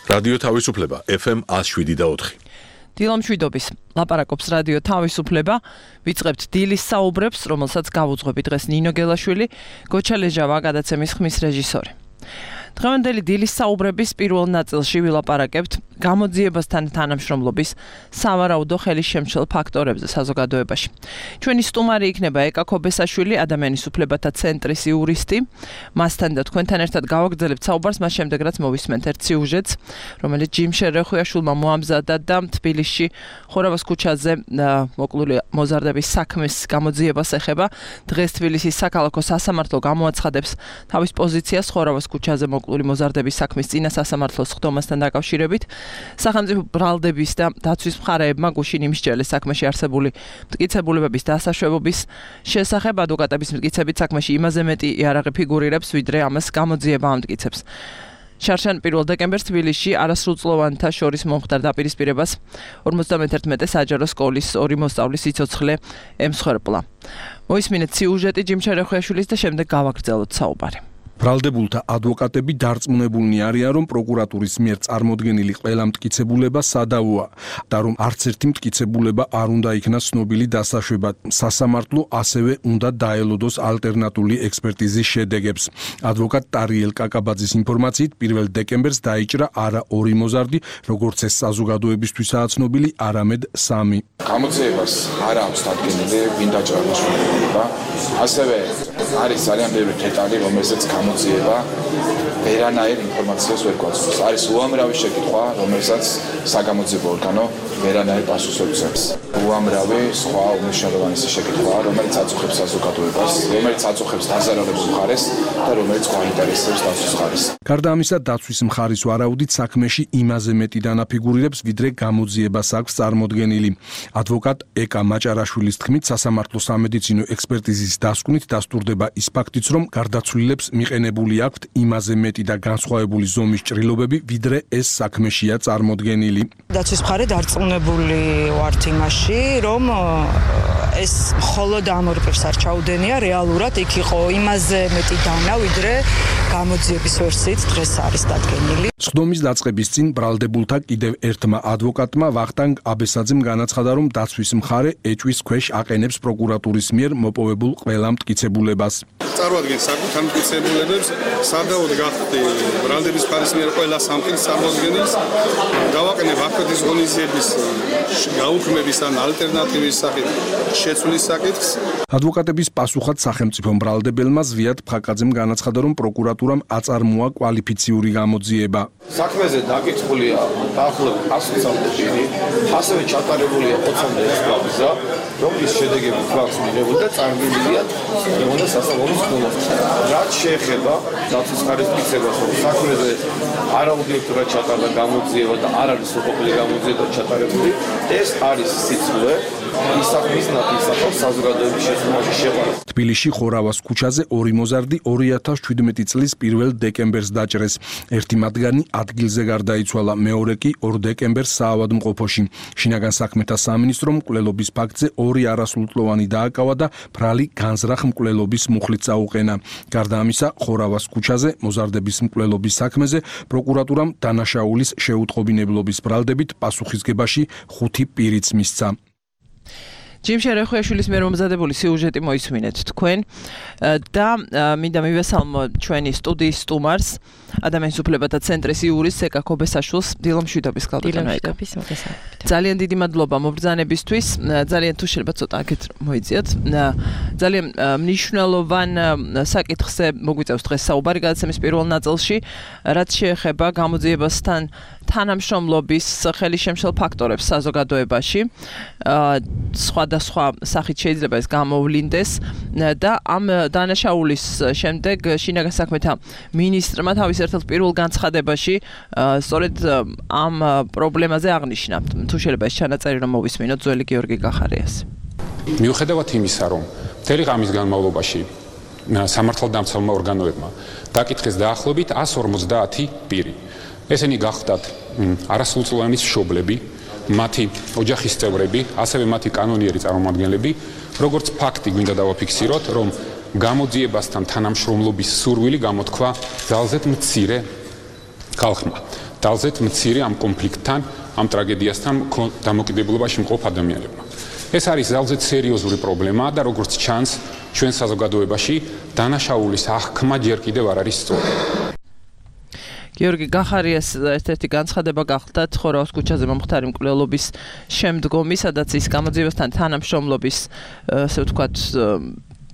რადიო თავისუფლება FM 107.4. დილამშვიდობის ლაპარაკობს რადიო თავისუფლება. ვიწყებთ დილის საუბრებს, რომელსაც გავუძღვებით დღეს ნინო გელაშვილი, გოჩა ლეჟავა გადაცემის ხმის რეჟისორი. დღევანდელი დილის საუბრების პირველ ნაწილში ვილაპარაკებთ გამოძიებასთან თანამშრომლობის სავარაუდო ხელისშემშლელ ფაქტორებზე საზოგადოებაში. ჩვენი სტუმარი იქნება ეკა ქობესაშვილი, ადამიანის უფლებათა ცენტრის იურისტი. მასთან და თქვენთან ერთად გავაგრძელებთ საუბარს მას შემდეგ, რაც მოვისმენთ ერთ სიუჟეტს, რომელიც ჯიმ შერეხუიაშვილმა მოამზადა და თბილისში ხორავას ქუჩაზე მოკლული მოზარდების საქმის გამოძიებას ეხება. დღეს თბილისის საქალაქო სასამართლო გამოაცხადებს თავის პოზიციას ხორავას ქუჩაზე მოკლული მოზარდების საქმის წინა სასამართლოს ხდომასთან დაკავშირებით. სახელმწიფო ბრალდების და დაცვის მხარეებმა გუშინ იმსჯელეს საქმეში არსებული მტკიცებულებების დასაშვებობის შესახებ. ადვოკატების მტკიცებით საქმეში იმაზე მეტი იარაღი ფიგურირებს, ვიდრე ამას გამოძიება ამტკიცებს. შარშან 1 დეკემბერს თბილისში არასრულწლოვანთა შორის მომხდარ დაპირისპირებას 51 საჯარო სკოლის 2 მოსწავლის სიცოცხლე ემსხვერპლა. მოისმინეთ სიუჟეტი ჯიმ შერეხუიაშვილის და შემდეგ გავაგრძელოთ საუბარი. ბრალდებულთა ადვოკატები დარწმუნებულნი არიან, რომ პროკურატურის მიერ წარმოდგენილი ყველა მტკიცებულება სადავოა და რომ არც ერთი მტკიცებულება არ უნდა იქნას ცნობილი დასაშვებად. სასამართლო ასევე უნდა დაელოდოს ალტერნატიული ექსპერტიზის შედეგებს. ადვოკატ ტარიელ კაკაბაძის ინფორმაციით 1 დეკემბერს დაიჭრა არა 2 მოზარდი, როგორც ეს საზოგადოებისთვისაა ცნობილი, არამედ 3. გამოძიებას არ აქვს დადგენილი ვინ დაჭრა მშობლება. ასევე არის ძალიან ბევრი დეტალი, რომელსაც გამოძიება ვერანაირ ინფორმაციას ვერ გვაძლევს. არის უამრავი შეკითხვა, რომელსაც საგამოძიებო ორგანო ვერანაირ პასუხს ვერ ძლევს. უამრავი სხვა უმნიშვნელოვანესი შეკითხვა, რომელიც აწუხებს საზოგადოებას, რომელიც აწუხებს დაზარალებულ მხარეს და რომელიც გვაინტერესებს დაცვის მხარეს. გარდა ამისა, დაცვის მხარის ვარაუდით საქმეში იმაზე მეტი დანაფიგურირებს, ვიდრე გამოძიებას აქვს წარმოდგენილი. ადვოკატ ეკა მაჭარაშვილის თქმით, სასამართლო სამედიცინო ექსპერტიზის დასკვნით დასტურდება ის ფაქტიც, რომ გარდაცვლილებს მიყენებული აქვთ იმაზე მეტი და განსხვავებული ზომის ჭრილობები, ვიდრე ეს საქმეშია წარმოდგენილი. დაცვის მხარე დარწმუნებული ვართ იმაში, რომ ეს მხოლოდ ამ ორ პირს არ ჩაუდენია, რეალურად იქ იყო იმაზე მეტი დანა, ვიდრე გამოძიების ვერსიით დღეს არის დადგენილი. სხდომის დაწყების წინ ბრალდებულთა კიდევ ერთმა ადვოკატმა ვახტანგ აბესაძემ განაცხადა, რომ დაცვის მხარე ეჭვის ქვეშ აყენებს პროკურატურის მიერ მოპოვებულ ყველა მტკიცებულებას. წარმოადგენს საკუთარ მტკიცებულებებს, სადავოდ გახდი ბრალდების მხარის მიერ ყველა სამყაროს წარმოადგენს, გავაყენებ აფეთის ღონისძიების გაუქმების ან ალტერნატივის სახით შეცვლის საკითხს. ადვოკატების პასუხად სახელმწიფო ბრალდებელმა ზვიად ფხაკაძემ განაცხადა, რომ პროკურატურამ აწარმოა კვალიფიციური გამოძიება. საქმეზე დაკითხულია დაახლოებით 120 ჯერი, ასევე ჩატარებულია 26 გვამზა, რომლის შედეგები გვაქვს მიღებული და წარგებილია რეგულარული სასამართლოს ხდომას. რაც შეეხება დაცვის მხარის მტკიცებას, რომ საქმეზე არაობიექტურად ჩატარდა გამოძიება და არ არის უყოფელი გამოძიება ჩატარებული, ეს არის სიცილე ისახმის ნათლისათვის საზოგადოების შესწავლაში შეყვანა. თბილისში ხორავას ქუჩაზე 2 მოზარდი 2017 წლის 1 დეკემბერს დაჭრეს. ერთი მათგანი ადგილზე გარდაიცვალა, მეორე კი 2 დეკემბერს საავადმყოფოში. შინაგან საქმეთა სამინისტრომ მკვლელობის ფაქტზე 2 არასრულწლოვანი დააკავა და ბრალი განზრახ მკვლელობის მუხლით წაუყენა. გარდა ამისა, ხორავას ქუჩაზე მოზარდების მკვლელობის საქმეზე პროკურატურამ დანაშაულის შეუტყობინებლობის ბრალდებით პასუხისგებაში 5 პირიც მისცა. ჯიმ შერეხუიაშვილის მიერ მომზადებული სიუჟეტი მოისმინეთ თქვენ და მინდა მივესალმო ჩვენი სტუდიის სტუმარს, ადამიანის უფლებათა ცენტრის იურისტს ეკა ქობესაშვილს. დილამშვიდობის გალბატონო ეკა. ძალიან დიდი მადლობა მობრძანებისთვის. ძალიან თუ შეიძლება ცოტა აქეთ მოიძიოთ. ძალიან მნიშვნელოვან საკითხზე მოგვიწევს დღეს საუბარი გადაცემის პირველ ნაწილში, რაც შეეხება გამოძიებასთან თანამშრომლობის ხელისშემშლელ ფაქტორებს საზოგადოებაში. სხვადასხვა სახით შეიძლება ეს გამოვლინდეს და ამ დანაშაულის შემდეგ შინაგან საქმეთა მინისტრმა თავის ერთ-ერთ პირველ განცხადებაში სწორედ ამ პრობლემაზე აღნიშნა. თუ შეიძლება ეს ჩანაწერი რომ მოვისმინოთ ძველი გიორგი გახარიას. მიუხედავად იმისა, რომ მთელი ღამის განმავლობაში სამართალდამცავმა ორგანოებმა დაკითხეს დაახლოებით 150 პირი. ესენი გახდათ არასრულწლოვანი მშობლები, მათი ოჯახის წევრები, ასევე მათი კანონიერი წარმომადგენლები, როგორც ფაქტი გვინდა დავაფიქსიროთ, რომ გამოძიებასთან თანამშრომლობის სურვილი გამოთქვა ძალზედ მცირე ხალხმა. ძალზედ მცირე ამ კონფლიქტთან, ამ ტრაგედიასთან დამოკიდებულებაში მყოფ ადამიანებმა. ეს არის ძალზედ სერიოზული პრობლემა და როგორც ჩანს, ჩვენ საზოგადოებაში დანაშაულის აღქმა ჯერ კიდევ არ არის სწორი. გიორგი გახარიას ერთ-ერთი განცხადება გახლდათ ხორაუს ქუჩაზე მომხდარი მკვლელობის შემდგომი, სადაც ის გამოძიებასთან თანამშრომლობის, ასე ვთქვათ,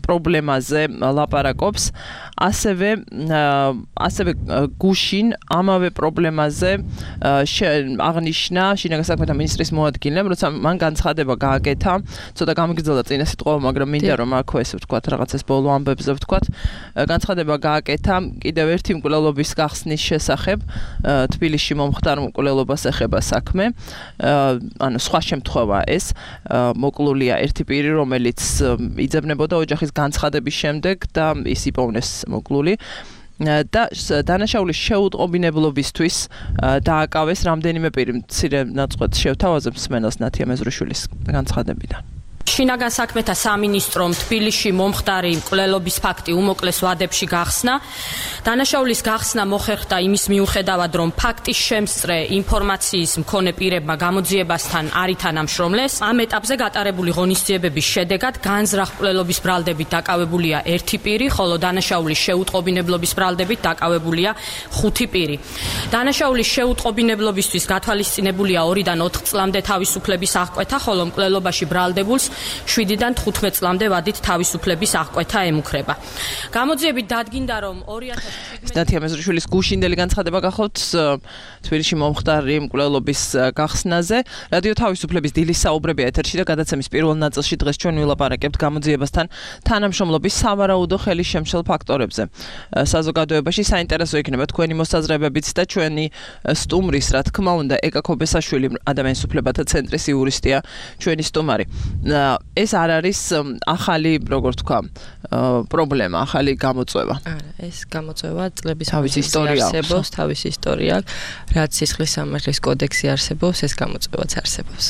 პრობლემაზე ლაპარაკობს, ასევე გუშინ ამავე პრობლემაზე აღნიშნა შინაგან საქმეთა მინისტრის მოადგილემ, როცა მან განცხადება გააკეთა, ცოტა გამიგრძელდა წინა სიტყვა, მაგრამ მინდა რომ აქვე ესე ვთქვათ, რაღაცას ბოლო ამბებზე ვთქვათ, განცხადება გააკეთა კიდევ ერთი მკვლელობის გახსნის შესახებ, თბილისში მომხდარ მკვლელობას ეხება საქმე, ანუ სხვა შემთხვევა ეს, მოკლულია ერთი პირი, რომელიც იძებნებოდა ოჯახის განცხადების შემდეგ და ის იპოვნეს მოკლული და დანაშაულის შეუტყობინებლობისთვის დააკავეს რამდენიმე პირი. მცირე ნაწყვეტს შევთავაზებ მსმენელს ნათია მეზრიშვილის განცხადებიდან. შინაგან საქმეთა სამინისტრომ თბილისში მომხდარი მკვლელობის ფაქტი უმოკლეს ვადებში გახსნა. დანაშაულის გახსნა მოხერხდა იმის მიუხედავად, რომ ფაქტის შემსწრე ინფორმაციის მქონე პირებმა გამოძიებასთან არ ითანამშრომლეს. ამ ეტაპზე გატარებული ღონისძიებების შედეგად განზრახ მკვლელობის ბრალდებით დაკავებულია ერთი პირი, ხოლო დანაშაულის შეუტყობინებლობის ბრალდებით დაკავებულია 5 პირი. დანაშაულის შეუტყობინებლობისთვის გათვალისწინებულია 2-დან 4 წლამდე თავისუფლების აღკვეთა, ხოლო მკვლელობაში ბრალდებულს 7-დან 15 წლამდე ვადით თავისუფლების აღკვეთა ემუქრება. გამოძიებით დადგინდა, რომ 2017 ნათია მეზრიშვილის გუშინდელი განცხადება გახლავთ თბილისში მომხდარი მკვლელობის გახსნაზე. რადიო თავისუფლების დილის საუბრებია ეთერში და გადაცემის პირველ ნაწილში დღეს ჩვენ ვილაპარაკებთ გამოძიებასთან თანამშრომლობის სავარაუდო ხელის შემშელ ფაქტორებზე. საზოგადოებაში საინტერესო იქნება თქვენი მოსაზრებებიც და ჩვენი სტუმრის, რა თქმა უნდა, ეკა ქობესაშვილი, ადამიანის უფლებათა ცენტრის იურისტია, ჩვენი სტუმარი. ეს არ არის ახალი, როგორ თქვა, პრობლემა, ახალი გამოწვევა. არა, ეს გამოწვევა წლების ისტორია არსებობს, თავისი ისტორია, რაც სისხლის სამართლის კოდექსი არსებობს, ეს გამოწვევაც არსებობს.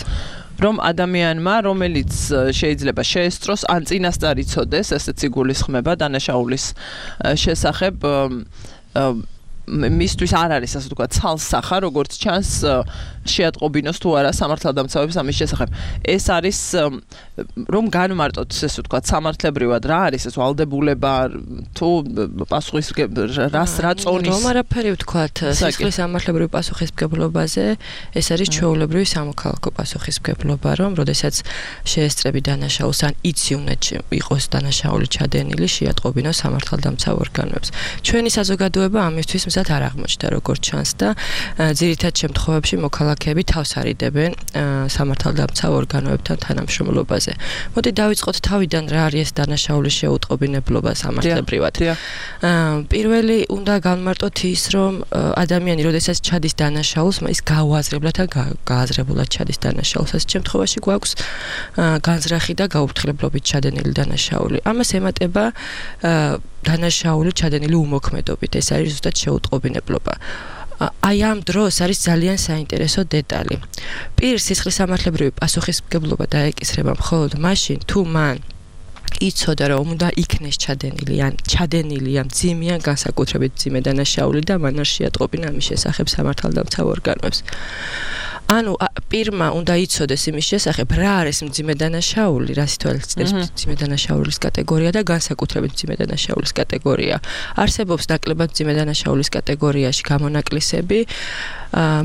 რომ ადამიანმა, რომელიც შეიძლება შეესწროს, ან წინასწარ იცოდეს, ესეც იგულისხმება დანაშაულის შესახებ, მისთვის არ არის, ასე ვთქვათ, ცალსახა, როგორც ჩანს, შეატყობინოს თუ არა სამართალდამცავებს ამის შესახებ. ეს არის რომ განმარტოთ, ესე ვთქვათ, სამართლებრივად რა არის ეს ვალდებულება თუ რას რა წონის რომ არაფერი ვთქვათ სისხლის სამართლებრივი პასუხისმგებლობაზე, ეს არის ჩვეულებრივი სამოქალაქო პასუხისმგებლობა, რომ როდესაც შეესწრები დანაშაულს ან იცი უნდა იყოს დანაშაული ჩადენილი, შეატყობინოს სამართალდამცავ ორგანოებს. ჩვენი საზოგადოება ამისთვის მზად არ აღმოჩნდა, როგორც ჩანს და ძირითად შემთხვევებში მოქალაქეები თავს არიდებენ სამართალდამცავ ორგანოებთან თანამშრომლობაზე. მოდი დავიწყოთ თავიდან რა არის დანაშაულის შეუტყობინებლობა სამართლებრივად. პირველი უნდა განმარტოთ ის, რომ ადამიანი როდესაც ჩადის დანაშაულს, ის გაუაზრებლად ან გააზრებულად ჩადის დანაშაულს. ამ შემთხვევაში გვაქვს განზრახი და გაუფრთხილებლობით ჩადენილი დანაშაული. ამას ემატება დანაშაული ჩადენილი უმოქმედობით. ეს არის ზუსტად შეუტყობინებლობა. აი ამ დროს არის ძალიან საინტერესო დეტალი. პირს სისხლის სამართლებრივი პასუხისმგებლობა დაეკისრება მხოლოდ მაშინ, თუ მან იცოდა, რომ უნდა იქნეს ჩადენილი ამ მძიმე ან განსაკუთრებით მძიმე დანაშაული და მან არ შეატყობინა ამის შესახებ სამართალდამცავ ორგანოებს. ანუ პირმა უნდა იცოდეს იმის შესახებ, რა არის მძიმე დანაშაული, რა სიტუაციაა მძიმე დანაშაულის კატეგორია და განსაკუთრებით მძიმე დანაშაულის კატეგორია. არსებობს ნაკლებად მძიმე დანაშაულის კატეგორიაში გამონაკლისები.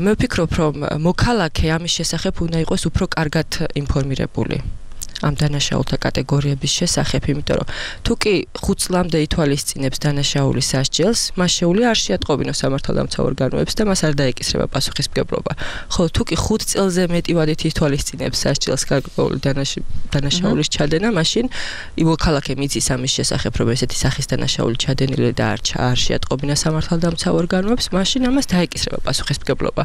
მე ვფიქრობ, რომ მოქალაქე ამის შესახებ უნდა იყოს უფრო კარგად ინფორმირებული. ამ დანაშაულთა კატეგორიების შესახებ, იმიტომ რომ თუ კი 5 წლამდე ითვალისწინებს დანაშაულის სასჯელს, მას შეუძლია არ შეატყობინოს სამართალდამცავ ორგანოებს და მას არ დაეკისრება პასუხისმგებლობა. ხოლო თუ კი 5 წელზე მეტი ვადით ითვალისწინებს სასჯელს გარკვეული დანაშაულის ჩადენა, მაშინ მოქალაქე მიცის ამის შესახებ, რომ ესეთი სახის დანაშაული ჩადენილი და არ შეატყობინა სამართალდამცავ ორგანოებს, მაშინ ამას დაეკისრება პასუხისმგებლობა.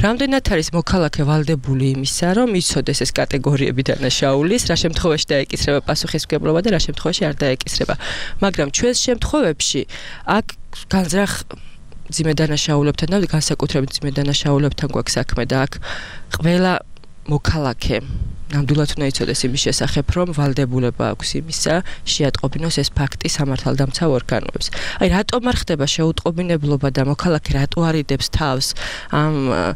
რამდენად არის მოქალაქე ვალდებული იმისა, რომ იცოდეს ეს კატეგორიები დანაშაულის, რა შემთხვევაში დაეკისრება პასუხისმგებლობა და რა შემთხვევაში არ დაეკისრება. მაგრამ ჩვენს შემთხვევებში აქ განზრახ მძიმე დანაშაულებთან და განსაკუთრებით მძიმე დანაშაულებთან გვაქვს საქმე და აქ ყველა მოქალაქე ნამდვილად უნდა იცოდეს იმის შესახებ, რომ ვალდებულება აქვს იმისა, შეატყობინოს ეს ფაქტი სამართალდამცავ ორგანოებს. აი, რატომ არ ხდება შეუტყობინებლობა და მოქალაქე რატო არიდებს თავს ამ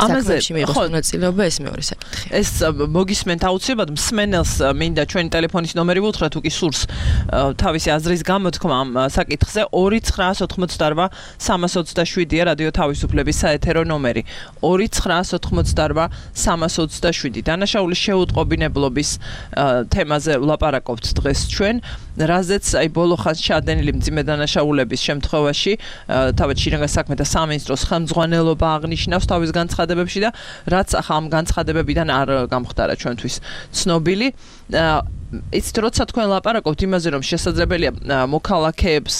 ამაზე მიიღოს მონაწილეობა ეს მეორე საკითხი. ეს მოგისმენთ აუცილებლად მსმენელს მინდა ჩვენი ტელეფონის ნომერი უთხრა თუ კი სურს თავისი აზრის გამოთქმა ამ საკითხზე 2988 327-ია რადიო თავისუფლების საეთერო ნომერი 2988 327. დანაშაულის შეუტყობინებლობის თემაზე ვლაპარაკობთ დღეს ჩვენ, რაზეც აი ბოლო ხანს ჩადენილი მძიმე დანაშაულების შემთხვევაში თავად შინაგან საქმეთა სამინისტროს ხელმძღვანელობა აღნიშნავს თავის განცხადებებში და რაც ახლა ამ განცხადებებიდან არ გამხდარა ჩვენთვის ცნობილი. იცით, როცა თქვენ ლაპარაკობთ იმაზე, რომ შესაძლებელია მოქალაქეებს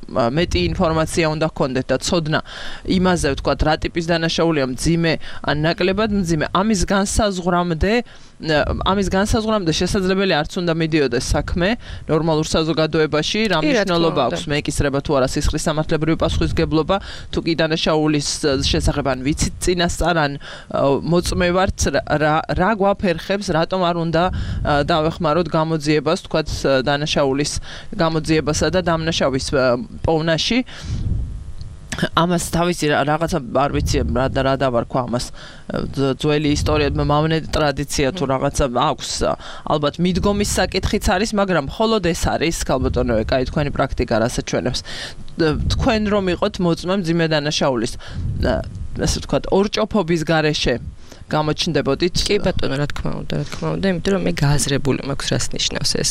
მეტი ინფორმაცია უნდა ჰქონდეთ და ცოდნა იმაზე, ვთქვათ, რა ტიპის დანაშაულია მძიმე ან ნაკლებად მძიმე, ამის განსაზღვრამდე შესაძლებელი არც უნდა მიდიოდეს საქმე ნორმალურ საზოგადოებაში, რა მნიშვნელობა აქვს მეეკისრება თუ არა სისხლის სამართლებრივი პასუხისგებლობა, თუ კი დანაშაულის შესახებ ან ვიცით წინასწარ ან მოწმე ვართ, რა გვაფერხებს, რატომ არ უნდა დავეხმაროთ გამოძიებას, თქვათ, დანაშაულის გამოძიებასა და დამნაშავის პოვნაში. ამას თავისი რაღაცა არ ვიცი რა დავარქვა ამას ძველი ისტორია მამნე ტრადიცია თუ რაღაცა აქვს ალბათ მიდგომის საკითხიც არის, მაგრამ მხოლოდ ეს არის ქალბატონო, კაი თქვენი პრაქტიკა რასაც ჩვენებს. თქვენ რომ იყოთ მოწმე მძიმე დანაშაულის ასე ვთქვათ ორჭოფობის გარეშე გამოჩნდებოდით? კი ბატონო, რა თქმა უნდა, იმიტომ რომ მე გააზრებული მაქვს რას ნიშნავს ეს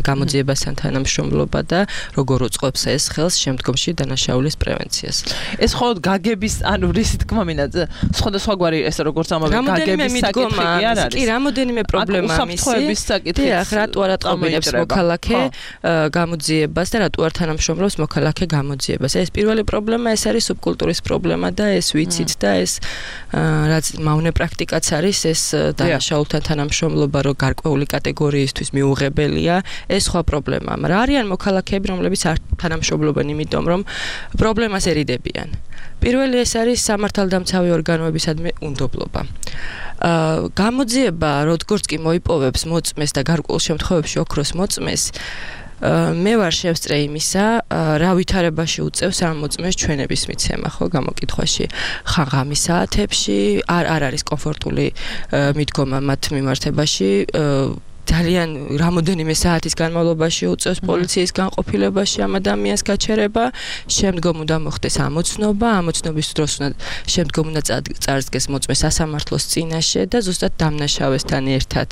გამოძიებასთან თანამშრომლობა და როგორ უწყობს ეს ხელს შემდგომში დანაშაულის პრევენციას. ეს მხოლოდ გაგების, ანუ რისი თქმა მინდა, სხვადასხვაგვარი ეს როგორც ამავე გაგების საკითხი არ არის. კი, რამოდენიმე პრობლემა უსაფრთხოების საკითხი. დიახ, რატო არ ატყობინებს მოქალაქე გამოძიებას და რატო არ თანამშრომლობს მოქალაქე გამოძიებას. ეს პირველი პრობლემა, ეს არის სუბკულტურის პრობლემა და ეს ვიცით და ეს რაც მავნე პრაქტიკაც არის ეს დანაშაულთან თანამშრომლობა, რომ გარკვეული კატეგორიისთვის მიუღებელია, ეს სხვა პრობლემაა. მაგრამ არიან მოქალაქეები, რომლებიც არ თანამშრომლობენ, იმიტომ რომ პრობლემას ერიდებიან. პირველი ეს არის სამართალდამცავი ორგანოებისადმი უნდობლობა. გამოძიება, როგორც კი მოიპოვებს მოწმეს და გარკვეულ შემთხვევებში ოქროს მოწმეს, მე ვარ შევსწრე იმისა, რა ვითარებაში უწევს ამ მოწმეს ჩვენების მიცემა, ხო, გამოკითხვაში. ხაღამის საათებში არ არის კომფორტული მიდგომა მათ მიმართებაში. ძალიან რამოდენიმე საათის განმავლობაში უწევს პოლიციის განყოფილებაში ამ ადამიანს გაჩერება, შემდგომ უნდა მოხდეს ამოცნობა, ამოცნობის დროს შემდგომ უნდა წარსდგეს მოწმე სასამართლოს წინაშე და ზუსტად დამნაშავესთან ერთად.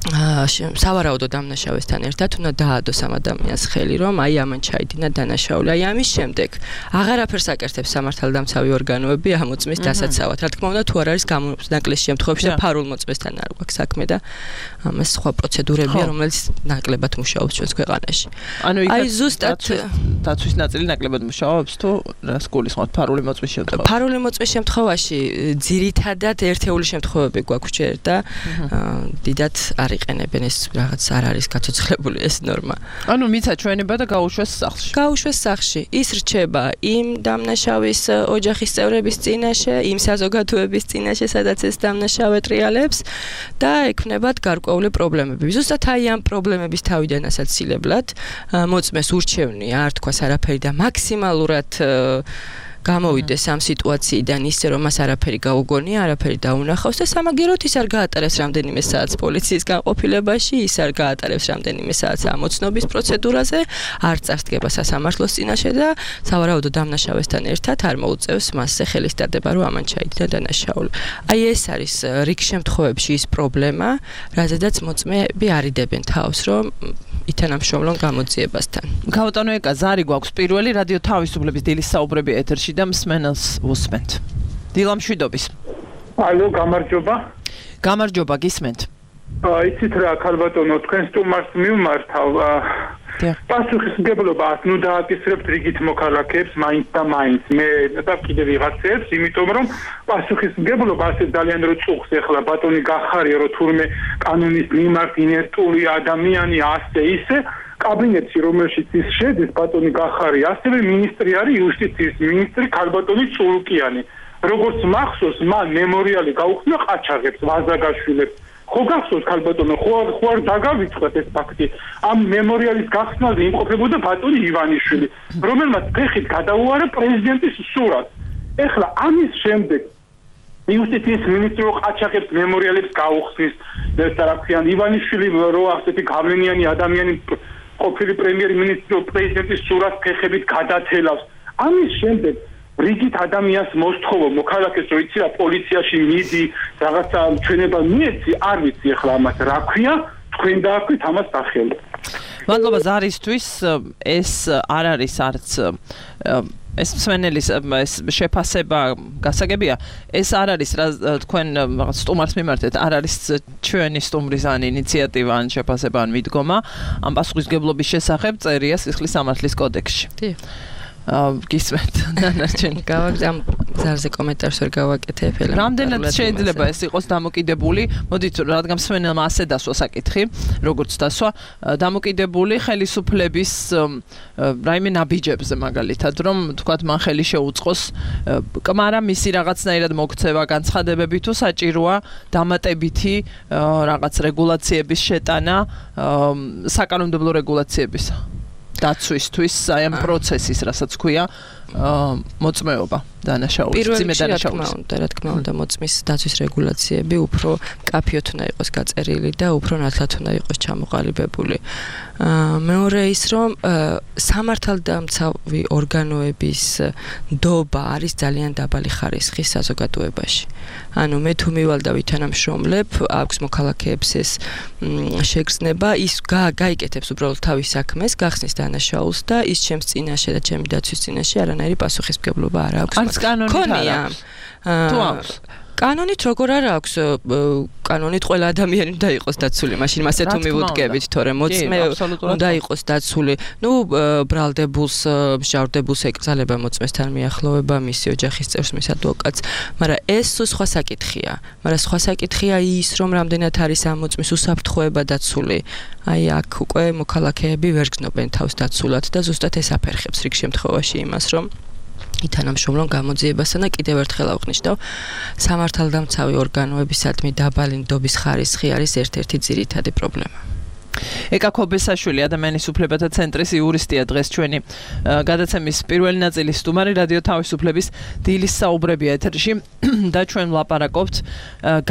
სავარაუდო დამნაშავესთან ერთად უნდა დაადოს ამ ადამიანს ხელი, რომ აი ამან ჩაიდინა დანაშაული. აი ამის შემდეგ აღარაფერს აკეთებს სამართალდამცავი ორგანოები ამ მოწმის დასაცავად. რა თქმა უნდა, თუ არ არის გამონაკლისის შემთხვევებში და ფარულ მოწმესთან არ გვაქვს საქმე და ამას სხვა პროცედურებია, რომელიც ნაკლებად მუშაობს ჩვენს ქვეყანაში. აი ზუსტად დაცვის ნაწილი ნაკლებად მუშაობს თუ რას გულისხმობთ ფარული მოწმის შემთხვევაში? ფარული მოწმის შემთხვევაში ძირითადად ერთეული შემთხვევები გვაქვს ჯერ და დიდად იყენებენ, ეს რაღაც არ არის გაცოცხლებული ეს ნორმა. ანუ მიცა ჩვენება და გაუშვეს სახლში. გაუშვეს სახლში. ის რჩება იმ დამნაშავის ოჯახის წევრების წინაშე, იმ საზოგადოების წინაშე, სადაც ეს დამნაშავე ტრიალებს და ექნებათ გარკვეული პრობლემები. ზუსტად აი ამ პრობლემების თავიდან ასაცილებლად მოწმეს ურჩევნია არ თქვას არაფერი და მაქსიმალურად გამოვიდეს ამ სიტუაციიდან ისე რომ მას არაფერი გაუგონია, არაფერი დაუნახავს და სამაგიეროდ ის არ გაატარებს რამდენიმე საათს პოლიციის განყოფილებაში, ის არ გაატარებს რამდენიმე საათს ამოცნობის პროცედურაზე, არ წარსდგება სასამართლოს წინაშე და სავარაუდო დამნაშავესთან ერთად არ მოუწევს მასზე ხელის დადება, რომ ამან ჩაიდინა დანაშაული. აი ეს არის რიგ შემთხვევებში ის პრობლემა, რაზედაც მოწმეები არიდებენ თავს, რომ ითანამშრომლონ გამოძიებასთან. ქალბატონო ეკა, ზარი გვაქვს პირველი რადიო თავისუფლების დილის საუბრები ეთერში და მსმენელს უსმენთ. დილა მშვიდობის. ალო, გამარჯობა. გამარჯობა, გისმენთ. იცით რა, ქალბატონო, თქვენ სტუმარს მივმართავ. პასუხისმგებლობა ნუ დააკისრებთ რიგით მოქალაქეებს მაინც და მაინც. მე და კიდევ ვიღაცებს, იმიტომ რომ პასუხისმგებლობა ასე ძალიან რო წუხს ეხლა ბატონი გახარია, რომ თურმე კანონის მიმართ ინერტული ადამიანი ასე ისე კაბინეტში რომელშიც ის შედის ბატონი გახარია, ასევე მინისტრი არის იუსტიციის მინისტრი ქალბატონი წულუკიანი. როგორც მახსოვს, მან მემორიალი გაუხსნა ყაჩაღებს, ვაზაგაშვილებს. ხო გახსოვს ქალბატონო, ხო არ დაგავიწყეთ ეს ფაქტი. ამ მემორიალის გახსნაზე იმყოფებოდა ბატონი ივანიშვილი, რომელმაც ფეხით გადაუარა პრეზიდენტის სურათს. ეხლა ამის შემდეგ იუსტიციის მინისტრი ყაჩაღებს მემორიალებს გაუხსნის, და რა ქვია, ივანიშვილი რო ასეთი გავლენიანი ადამიანი ყოფილი პრემიერ-მინისტრი პრეზიდენტის სურათს ფეხებით გადათელავს. ამის შემდეგ რიგით ადამიანს მოსთხოვო მოქალაქეს რო იცი რა პოლიციაში მიდი რაღაცა ჩვენება მიეცი არ ვიცი ახლა ამას რა ქვია თქვენ დააქვით ამას დახელო მადლობა ზარისთვის ეს არ არის არც ეს მსმენელის ეს შეფასება გასაგებია ეს არ არის რა თქვენ რაღაც სტუმარს მიმართეთ არ არის ჩვენი სტუმრის ან ინიციატივა ან შეფასება ან მიდგომა ამ პასუხისმგებლობის შესახებ წერია სისხლის სამართლის კოდექსში კი გისმენთ ნანარჩენი გავაგზავნე ამ ზარზე კომენტარს ვერ გავაკეთებ ელემენტარულად რამდენად შეიძლება ეს იყოს დამოკიდებული მოდით რადგან მსმენელმა ასე დასვა საკითხი როგორც დასვა დამოკიდებული ხელისუფლების რაიმე ნაბიჯებზე მაგალითად რომ თქვათ მან ხელი შეუწყოს კმარა მისი რაღაცნაირად მოქცევა განცხადებები თუ საჭიროა დამატებითი რაღაც რეგულაციების შეტანა საკანონმდებლო რეგულაციებისა დაცვისთვის აი ამ პროცესის რასაც ქვია მოწმეობა დანაშაულის ძიმე დანაშაულის რა თქმა უნდა მოწმის დაცვის რეგულაციები უფრო კაფიოთ უნდა იყოს გაწერილი და უფრო ნათლად უნდა იყოს ჩამოყალიბებული მეორე ის რომ სამართალდამცავი ორგანოების ნდობა არის ძალიან დაბალი ხარისხის საზოგადოებაში ანუ მე თუ მივალ და ვითანამშრომლებ აქვს მოქალაქეებს ეს შეგრძნება ის გაიკეთებს უბრალოდ თავის საქმეს გახსნის დანაშაულს და ის ჩემს წინაშე და ჩემი დაცვის წინაშე არანაირი პასუხისმგებლობა არ აქვს კანონით თუ აქვს კანონით როგორ არ აქვს კანონით ყველა ადამიანი უნდა იყოს დაცული მაშინ მასე თუ მივუდგებით თორემ მოწმე უნდა იყოს დაცული ნუ ბრალდებულს მსჯავრდებულს ეკრძალება მოწმესთან მიახლოვება მისი ოჯახის წევრს მის ადვოკატს მაგრამ ეს სხვა საკითხია მაგრამ სხვა საკითხია ის რომ რამდენად არის ამ მოწმის უსაფრთხოება დაცული აი აქ უკვე მოქალაქეები ვერ გრძნობენ თავს დაცულად და ზუსტად ეს აფერხებს რიგ შემთხვევაში იმას რომ ითანამშრომლონ გამოძიებასთან და კიდევ ერთხელ აღნიშნავ სამართალდამცავი ორგანოებისადმი დაბალი ნდობის ხარისხი არის ერთ-ერთი ძირითადი პრობლემა ეკა ქობესაშვილი ადამიანის უფლებათა ცენტრის იურისტია დღეს ჩვენი გადაცემის პირველი ნაწილის სტუმარი რადიო თავისუფლების დილის საუბრებია ეთერში და ჩვენ ვლაპარაკობთ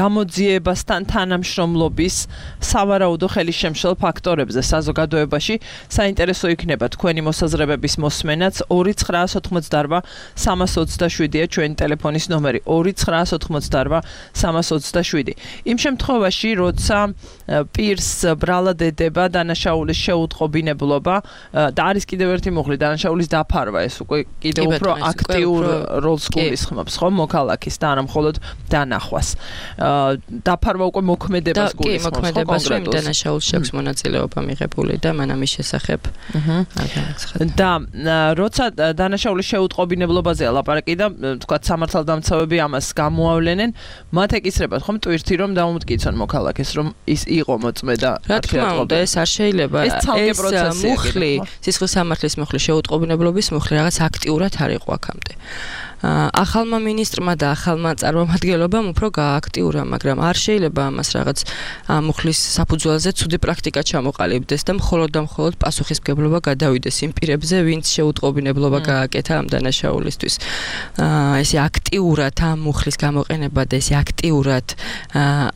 გამოძიებასთან თანამშრომლობის სავარაუდო ხელისშემშლელ ფაქტორებზე საზოგადოებაში საინტერესო იქნება თქვენი მოსაზრებების მოსმენაც 2988 327-ია ჩვენი ტელეფონის ნომერი 2988 327 იმ შემთხვევაში როცა პირს ბრალად დება დანაშაულის შეუტყობინებლობა და არის კიდევ ერთი მუხლი დანაშაულის დაფარვა ეს უკვე კიდევ უფრო აქტიურ როლს გულისხმობს ხო მოქალაქის და არა მხოლოდ დანახვას დაფარვა უკვე მოქმედებას გულისხმობს ხო კონკრეტულად დანაშაულს შექვს მონაწილეობა მიღებული და მან ამის შესახებ და როცა დანაშაულის შეუტყობინებლობაზეა ლაპარაკი და თქვათ სამართალდამცავები ამას გამოავლენენ მათ ეკისრებათ ხომ ტვირთი რომ დაუმტკიცონ მოქალაქეს რომ ის იყო მოწმე და ეს არ შეიძლება ეს მუხლი სისხლის სამართლის მუხლი შეუტყობინებლობის მუხლი რაღაც აქტიურად არ იყო აქამდე ახალმა მინისტრმა და ახალმა წარმომადგენლობამ უფრო გააქტიურა, მაგრამ არ შეიძლება ამას რაღაც მუხლის საფუძველზე ცუდი პრაქტიკა ჩამოყალიბდეს და მხოლოდ პასუხისმგებლობა გადავიდეს იმ პირებზე, ვინც შეუტყობინებლობა გააკეთა ამ დანაშაულისთვის. ესე აქტიურად ამ მუხლის გამოყენება და ესე აქტიურად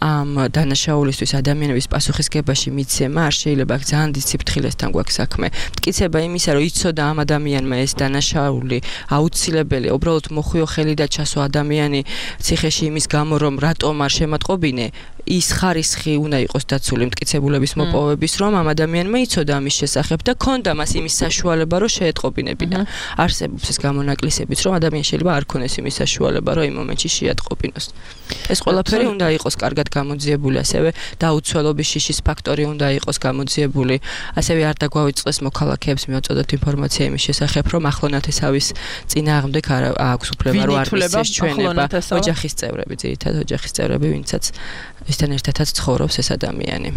ამ დანაშაულისთვის ადამიანების პასუხისგებაში მიცემა არ შეიძლება ძალიან დისციპლინასთან გვაქვს საქმე. მტკიცება იმისა, რომ იცოდა ამ ადამიანმა ეს დანაშაული აუცილებელი, უბრალოდ მოხვიო ხელი და ჩასო ადამიანი ციხეში იმის გამო რომ რატომ არ შემატყობინე ის ხარისხი უნდა იყოს დაცული მტკიცებულების მოპოვების რომ ამ ადამიანმა იცოდა ამის შესახებ და ქონდა მას იმის საშუალება რომ შეეტყობინებინა არსებობს ეს გამონაკლისებიც რომ ადამიანს შეიძლება არ ქონდეს იმის საშუალება რომ იმ მომენტში შეატყობინოს ეს ყველაფერი უნდა იყოს კარგად გამოძიებული ასევე დაუცველობის შიშის ფაქტორი უნდა იყოს გამოძიებული ასევე არ დაგვავიწყდეს მოქალაქეებს მიაწოდოთ ინფორმაცია იმის შესახებ რომ ახლონათესავის წინააღმდეგ არ აქვს უფლება რომ არ მისცეს ჩვენება ოჯახის წევრები ძირითადად ოჯახის წევრები ვინცაც ისთან ერთადაც ცხოვრობს ეს ადამიანი.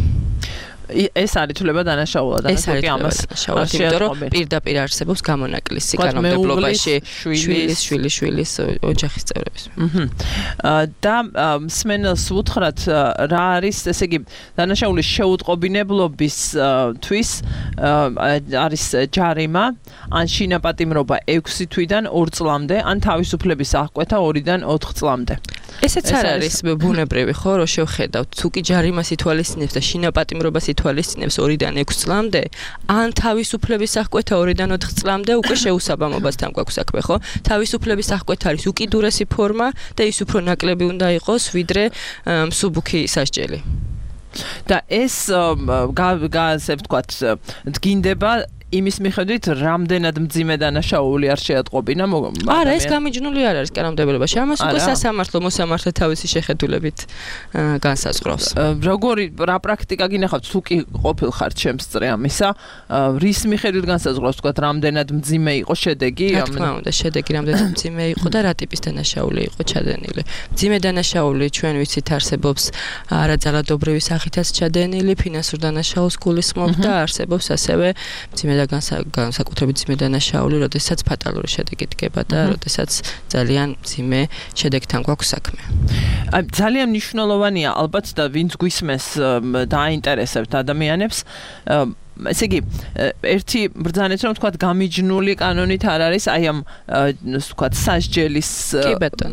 ეს არის თვლება დანაშაულად, კი ამას იმიტომ რომ პირდაპირ არსებობს გამონაკლისი კანონმდებლობაში შვილის ოჯახის წევრების. და მსმენელს უთხრათ რა არის, ესე იგი, დანაშაულის შეუტყობინებლობისთვის არის ჯარიმა, ან შინაპატიმრობა 6 თვიდან 2 წლამდე, ან თავისუფლების აღკვეთა 2-დან 4 წლამდე. ესეც არ არის ბუნებრივი, ხო, რომ შევხედავთ, თუ კი ჯარიმას ითვალისწინებს და შინაპატიმრობას ითვალისწინებს 2-დან 6 წლამდე, ან თავისუფლების აღკვეთა 2-დან 4 წლამდე, უკვე შეუსაბამობასთან გვაქვს საქმე, ხო? თავისუფლების აღკვეთა არის უკიდურესი ფორმა და ის უფრო ნაკლები უნდა იყოს, ვიდრე მსუბუქი სასჯელი. და ეს ასე ვთქვათ, დგინდება იმის მიხედვით, რამდენად მძიმე დანაშაული არ შეატყობინა. არა, ეს გამიჯნული არ არის კანონმდებლობაში. ამას უკვე სასამართლო მოსამართლე თავისი შეხედულებით განსაზღვრავს. როგორი რა პრაქტიკა გინახავთ, თუ კი ყოფილხართ შემსწრე ამისა, რის მიხედვით განსაზღვრავს, ვთქვათ, რამდენად მძიმე იყო შედეგი? რა თქმა უნდა, შედეგი რამდენად მძიმე იყო და რა ტიპის დანაშაული იყო ჩადენილი. მძიმე დანაშაული ჩვენ ვიცით არსებობს არაძალადობრივი სახითაც ჩადენილი, ფინანსურ დანაშაულს გულისხმობს და არსებობს ასევე მძიმე და განსაკუთრებით მძიმე დანაშაული, როდესაც ფატალური შედეგი დგება და როდესაც ძალიან მძიმე შედეგთან გვაქვს საქმე. ძალიან მნიშვნელოვანია ალბათ და ვინც გვისმენს დააინტერესებთ ადამიანებს, ესე იგი, ერთი ბრძანეთ რომ თქვათ გამიჯნული კანონით არ არის, აი ამ თქვათ სასჯელის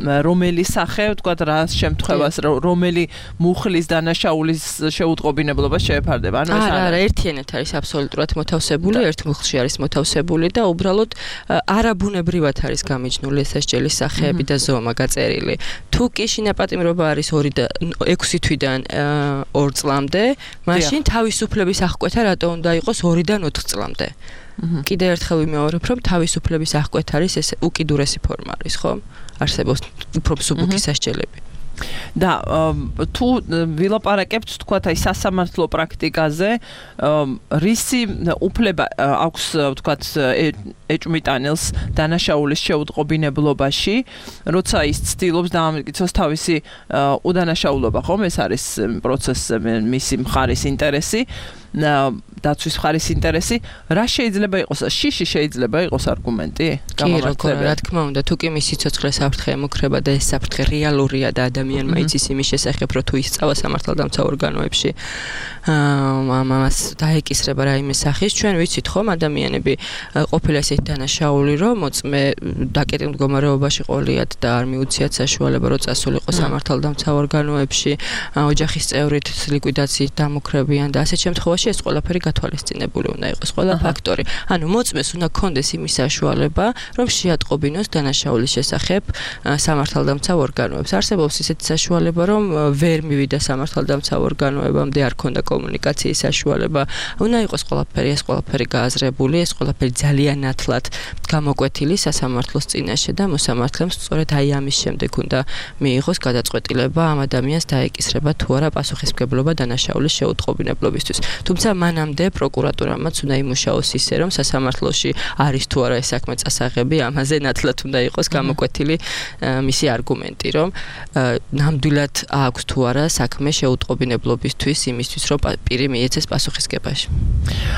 რომელი სახე, თქვათ რა შემთხვევას, რომელი მუხლის დანაშაულის შეუტყობინებლობას შეეფარდება. ანუ ეს არა, ერთიანად არის აბსოლუტურად მოთავსებული, ერთ მუხლში არის მოთავსებული და უბრალოდ არაბუნებრივად არის გამიჯნული სასჯელის სახეები და ზომა გაწერილი. თუ კი შინაპატიმრობა არის 6 თვიდან 2 წლამდე, მაშინ თავისუფლების აღკვეთა რატო უნდა იყოს 2-დან 4 წლამდე. კიდევ ერთხელ ვიმეორებ, რომ თავისუფლების აღკვეთა არის ეს უკიდურესი ფორმა არის, ხო? არსებობს უფრო მსუბუქი სასჯელები. და თუ ვილაპარაკებთ, თქვათ, აი სასამართლო პრაქტიკაზე, რისი უფლება აქვს, თქვათ, ეჭვმიტანილს დანაშაულის შეუტყობინებლობაში, როცა ის ცდილობს დაამტკიცოს თავისი უდანაშაულობა, ხომ? ეს არის პროცესზე მისი მხარის ინტერესი. დაცვის მხარის ინტერესი, რა შეიძლება იყოს? შიში შეიძლება იყოს არგუმენტი? რა თქმა უნდა, თუ კი მისი ცოცხლე საფრთხე ემუქრება და ეს საფრთხე რეალურია და ადამიანმა იცის იმის შესახებ, რომ თუ ისწავა სამართალდამცავ ორგანოებში, ამას დაეკისრება რაიმე სახის, ჩვენ ვიცით ხომ, ადამიანები ყოფილა ესეთი დანაშაული, რომ მოწმე დაკეტილ მდგომარეობაში ყოლიათ და არ მიუციათ საშუალება, რომ წასულიყო სამართალდამცავ ორგანოებში, ოჯახის წევრით ლიკვიდაციით დამუქრებიან და ასეთ შემთხვევაში ეს ყველაფერი გათვალისწინებული უნდა იყოს, ყველა ფაქტორი. ანუ მოწმეს უნდა ქონდეს იმის საშუალება, რომ შეატყობინოს დანაშაულის შესახებ სამართალდამცავ ორგანოებს. არსებობს ისეთი საშუალება, რომ ვერ მივიდა სამართალდამცავ ორგანოებამდე, არ ქონდა კომუნიკაციის საშუალება. უნდა იყოს ეს ყველაფერი გააზრებული, ეს ყველაფერი ძალიან ნათლად გამოკვეთილი სასამართლოს წინაშე და მოსამართლემ სწორედ აი ამის შემდეგ უნდა მიიღოს გადაწყვეტილება ამ ადამიანს დაეკისრება თუ არა პასუხისმგებლობა დანაშაულის შეუტყობინებლობისთვის. თუმცა მანამდე პროკურატურამაც უნდა იმუშაოს ისე, რომ სასამართლოში არის თუ არა ეს საქმე წასაღები, ამაზე ნათლად უნდა იყოს გამოკვეთილი მისი არგუმენტი, რომ ნამდვილად აქვს თუ არა საქმე შეუტყობინებლობისთვის, იმისთვის, რომ პირი მიეცეს პასუხისგებაში.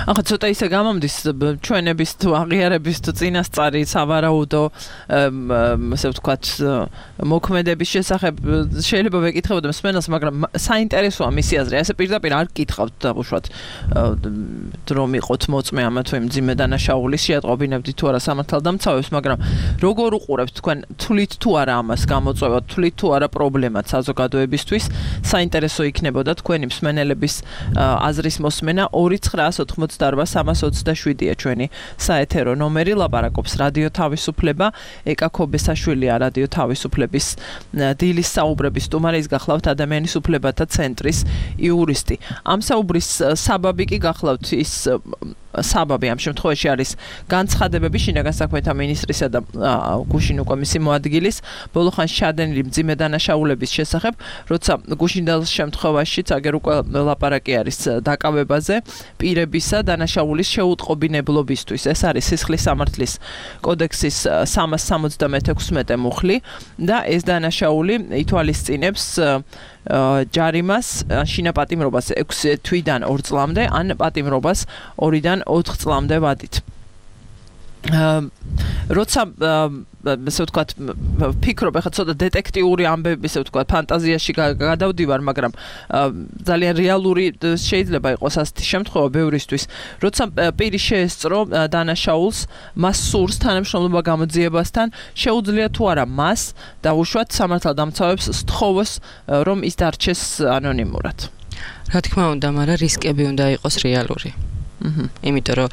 ახლა ცოტა ისე გამომდის ჩვენების თუ აღიარების თუ წინასწარი სავარაუდო, ასე ვთქვათ, მოქმედების შესახებ შეიძლება ვეკითხებოდე მსმენელს, მაგრამ საინტერესოა მისი აზრი. ასე პირდაპირ არ გკითხავთ დაუშვათ რომ იყოთ მოწმე ამა თუ იმ მძიმე დანაშაულის შეატყობინებდით თუ არა სამართალდამცავებს, მაგრამ როგორ უყურებთ თქვენ, თვლით თუ არა ამას გამოწვევა, თვლით თუ არა პრობლემად საზოგადოებისთვის, საინტერესო იქნებოდა თქვენი მსმენელების აზრის მოსმენა. 2988327-ია ჩვენი საეთერო ნომერი, ლაპარაკობს რადიო თავისუფლება, ეკა ქობესაშვილია რადიო თავისუფლების დილის საუბრების სტუმარი, ის გახლავთ ადამიანის უფლებათა ცენტრის იურისტი. ამ საუბრის საბაბი კი გახლავთ ის საბაბი ამ შემთხვევაში არის განცხადებები შინაგან საქმეთა მინისტრისა და გუშინ უკვე მისი მოადგილის ბოლოხანში ჩადენილი მძიმე დანაშაულების შესახებ, როცა გუშინდელს შემთხვევაშიც აგერ უკვე ლაპარაკი არის დაკავებაზე პირებისა დანაშაულის შეუტყობინებლობისთვის. ეს არის სისხლის სამართლის კოდექსის 376 მუხლი და ეს დანაშაული ითვალისწინებს ჯარიმას შინაპატიმრობას 6 თვიდან 2 წლამდე ან პატიმრობას 2-დან 4 წლამდე ვადით. როცა ესე ვთქვათ ფიქრობ ახლა ცოტა დეტექტიური ამბები ესე ვთქვათ ფანტაზიაში გადავდივარ, მაგრამ ძალიან რეალური შეიძლება იყოს ასეთი შემთხვევა ბევრისთვის, როცა პირი შეესწრო დანაშაულს, მას სურს თანამშრომლობა გამოძიებასთან, შეუძლია თუ არა მას დაუშვათ სამართალდამცავებს სთხოვოს, რომ ის დარჩეს ანონიმურად. რა თქმა უნდა, მაგრამ რისკები უნდა იყოს რეალური. იმიტომ რომ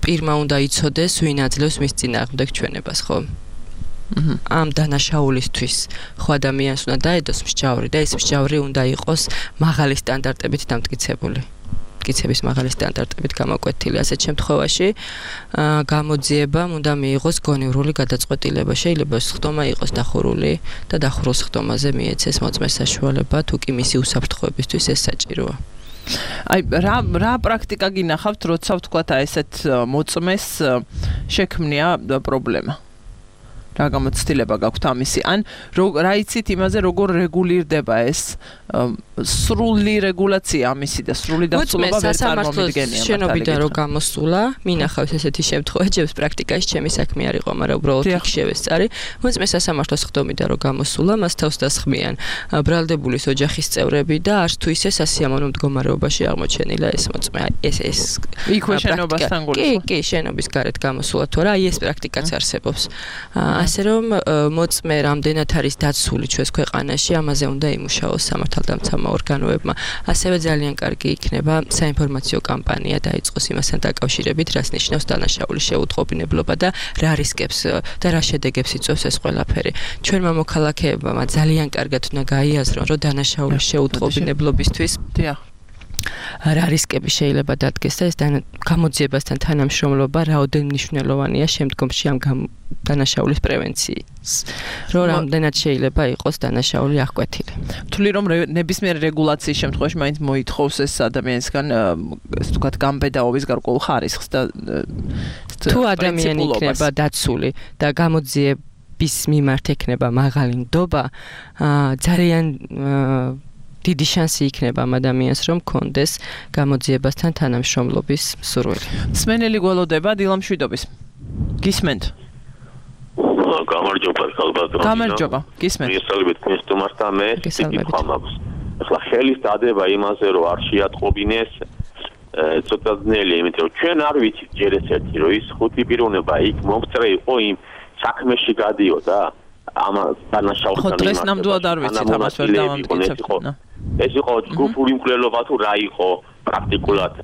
პირმა უნდა იცოდეს, ვინ აძლევს მის წინააღმდეგ ჩვენებას, ხო? ამ დანაშაულისთვის ხო ადამიანს უნდა დაედოს მსჯავრი და ეს მსჯავრი უნდა იყოს მაღალი სტანდარტებით დამტკიცებული. მტკიცების მაღალი სტანდარტებით გამოკვეთილი. ასეთ შემთხვევაში გამოძიებამ უნდა მიიღოს გონივრული გადაწყვეტილება. შეიძლება სხდომა იყოს დახურული და დახურულ სხდომაზე მიეცეს მოწმეს საშუალება, თუ კი მისი უსაფრთხოებისთვის ეს საჭიროა. აი რა პრაქტიკა გინახავთ, როცა ვთქვათ აი ესეთ მოწმეს შექმნია პრობლემა? რა გამოცდილება გაქვთ ამისი? ან რა იცით იმაზე, როგორ რეგულირდება ეს სრული რეგულაცია ამისი და სრული დასრულება ვერ წარმომიდგენია? შენობიდან რო გამოსულა, მინახავს ესეთი შემთხვევა, ჩემს პრაქტიკაში ჩემი საქმე არ იყო, მაგრამ უბრალოდ იქ შევესწარი. მოწმეს სასამართლოს სხდომიდან რო გამოსულა, მას თავს დასხმიან ბრალდებულის ოჯახის წევრები და არც თუ ისე სასიამოვნო მდგომარეობაში აღმოჩენილა ეს მოწმე. ეს იქვე შენობასთან გულისხმობ? კი, შენობის გარეთ გამოსულა თუ არა, აი ეს პრაქტიკაც არსებობს. ასე რომ მოწმე რამდენად არის დაცული ჩვენს ქვეყანაში, ამაზე უნდა იმუშაოს სამართალდამცავმა ორგანოებმა. ასევე ძალიან კარგი იქნება საინფორმაციო კამპანია დაიწყოს იმასთან დაკავშირებით, რას ნიშნავს დანაშაულის შეუტყობინებლობა და რა რისკებს და რა შედეგებს იწვევს ეს ყველაფერი. ჩვენმა მოქალაქეებმა ძალიან კარგად უნდა გაიაზრონ, რომ დანაშაულის შეუტყობინებლობისთვის რა რისკები შეიძლება დადგეს და ეს გამოძიებასთან თანამშრომლობა რაოდენ მნიშვნელოვანია შემდგომში ამ დანაშაულის პრევენციის. რომ რამდენად შეიძლება იყოს დანაშაული აღკვეთილი. თვლი რომ ნებისმიერ რეგულაციის შემთხვევაში მაინც მოითხოვს ეს ადამიანისგან ესე ვთქვათ გამბედაობის გარკვეულ ხარისხს და თუ ადამიანი იქნება დაცული და გამოძიების მიმართ ექნება მაღალი ნდობა, ძალიან დიდი შანსი იქნება ამ ადამიანს, რომ კონდეს გამოძიებასთან თანამშრომლობის სურვილი. მსმენელი გველოდება დილამშვიდობის. გისმენთ? გამარჯობა, ხალბატონო. გამარჯობა, გისმენთ. მისალებით თქვენს სტუმართან მე ვიქამავს. ახლა ხელის დადება იმაზე, რომ არ შეატყობინეს ცოტა ძნელი, იმიტომ რომ ჩვენ არ ვიცით ჯერ ესეთი, რომ ის ხუთი პიროვნება იქ მომწრე იყო იმ საქმეში გადიოდა. ამ დანაშაულთან ხო დღეს ნამდვილად არ ვიცით ამას ვერ დავამტკიცებთ. ეს იყო ჯგუფური მკვლელობა თუ რა იყო პრაქტიკულად?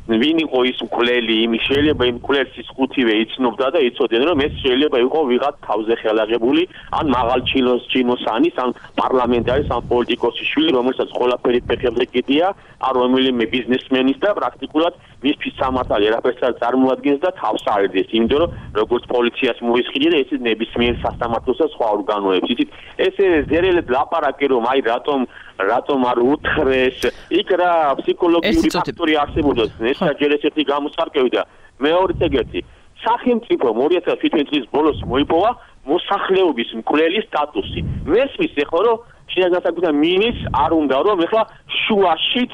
ვინ იყო ის მკვლელი? შეიძლება იმ მკვლელს ის ხუთივე იცნობდა და იცოდნენ, რომ ეს შეიძლება იყო ვიღაც თავზე ხელაღებული, ან მაღალ ჩინოსანის, ან პარლამენტარის, ან პოლიტიკოსის შვილი, რომელსაც ყველაფერი ფეხებზე კიდია, ან რომელიმე ბიზნესმენის და პრაქტიკულად მისთვის სამართალი არაფერს არ წარმოადგენს და თავს აერდეს, იმიტომ რომ როგორც პოლიციას მოისყიდე და ესეც ნებისმიერ სასამართლოს და სხვა ორგანოებს. იცით, ესე ზერელად ლაპარაკი რომ აი რატომ არ უთხრეს, იქ რა ფსიქოლოგიური ფაქტორი არსებობს, ეს ჯერ ესეთი გამოსარკვევი და მეორეც ეგეთი. სახელმწიფომ 2017 წლის ბოლოს მოიპოვა მოსახლეობის მკვლელის სტატუსი. მესმის ეხლა რომ შინაგან საქმეთა მინისტრს არ უნდა რომ ეხლა შუაშიც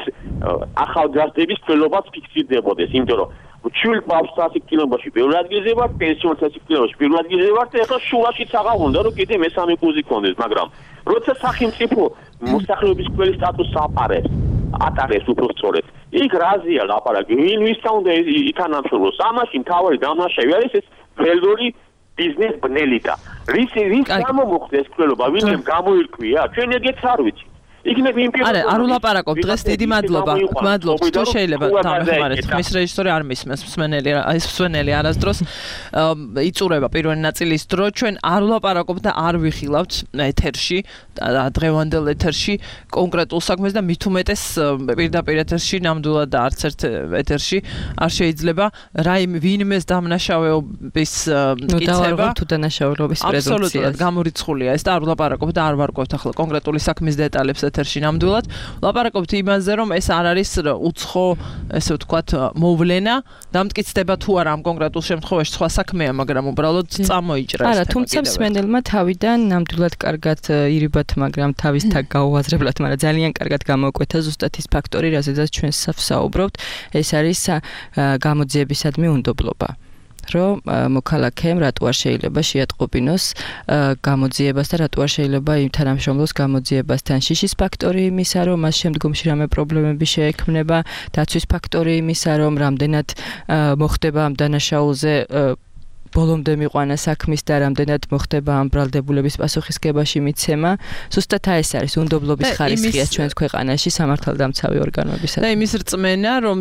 ახალგაზრდების მკვლელობაც ფიქსირდებოდეს, იმიტომ რომ ჩვილ ბავშვს სასიკვდილოში პირველ ადგილზე ვარ, პენსიონ სასიკვდილოში პირველ ადგილზე ვარ და ეხლა შუაშიც აღარ უნდა რომ კიდე მესამე პოზი კონდეს, მაგრამ როცა სახელმწიფო მოსახლეობის მკვლელის სტატუსს ატარებს უბრალოდ იქ რაზეა ლაპარაკი, ვინვისთან უნდა ითანამშრომლოს, ამაში მთავარი დამნაშავე არის ეს ველური ბიზნეს ბნელი და რის გამომოხდა ეს მკვლელობა, ვინმე გამოირკვია, ჩვენ ეგეც არ ვიცით. იქნებ იმ პიროვნებას. არა, არ ვლაპარაკობ დღეს დიდი მადლობა. გმადლობთ, თუ შეიძლება დამეხმარეთ. ხმის რეჟისორი არ მისმენს მსმენელი არასდროს იწურება პირველი ნაწილის დრო. ჩვენ არ ვლაპარაკობთ და არ ვიხილავთ ეთერში, დღევანდელ ეთერში კონკრეტულ საქმეს და მით უმეტეს პირდაპირ ეთერში ნამდვილად და არც ერთ ეთერში არ შეიძლება ვინმეს დამნაშავეობის მტკიცება თუ დანაშაულობის პრეზუმპცია. აბსოლუტურად გამორიცხულია ეს და არ ვლაპარაკობთ და არ ვარკვევთ ახლა კონკრეტული საქმის დეტალებს ეთერში ნამდვილად. ვლაპარაკობთ იმაზე, რომ ეს არ არის უცხო, ესე ვთქვათ, მოვლენა, დამტკიცდება თუ არა ამ კონკრეტულ შემთხვევაში სხვა საქმეა, მაგრამ უბრალოდ წამოიჭრა ეს თემა. არა, თუმცა მსმენელმა თავიდან ნამდვილად კარგად ირიბათ, მაგრამ თავის თაგ გაუაზრებლად, მაგრამ ძალიან კარგად გამოკვეთა ზუსტად ის ფაქტორი, რაზედაც ჩვენ ვსაუბრობთ, ეს არის გამოძიებისადმი უნდობლობა. რომ მოქალაქემ რატო არ შეიძლება შეატყობინოს გამოძიებას და რატო არ შეიძლება იმ თანამშრომლოს გამოძიებასთან შიშის ფაქტორი იმისა, რომ მას შემდგომში რამე პრობლემები შეექმნება, დაცვის ფაქტორი იმისა, რომ რამდენად მოხდება ამ დანაშაულზე ბოლომდე მიყვანა საქმის და რამდენად მოხდება ამ ბრალდებულების პასუხისგებაში მიცემა. ზუსტად ეს არის უნდობლობის ხარისხია ჩვენს ქვეყანაში სამართალდამცავი ორგანოებისა. და იმის რწმენა, რომ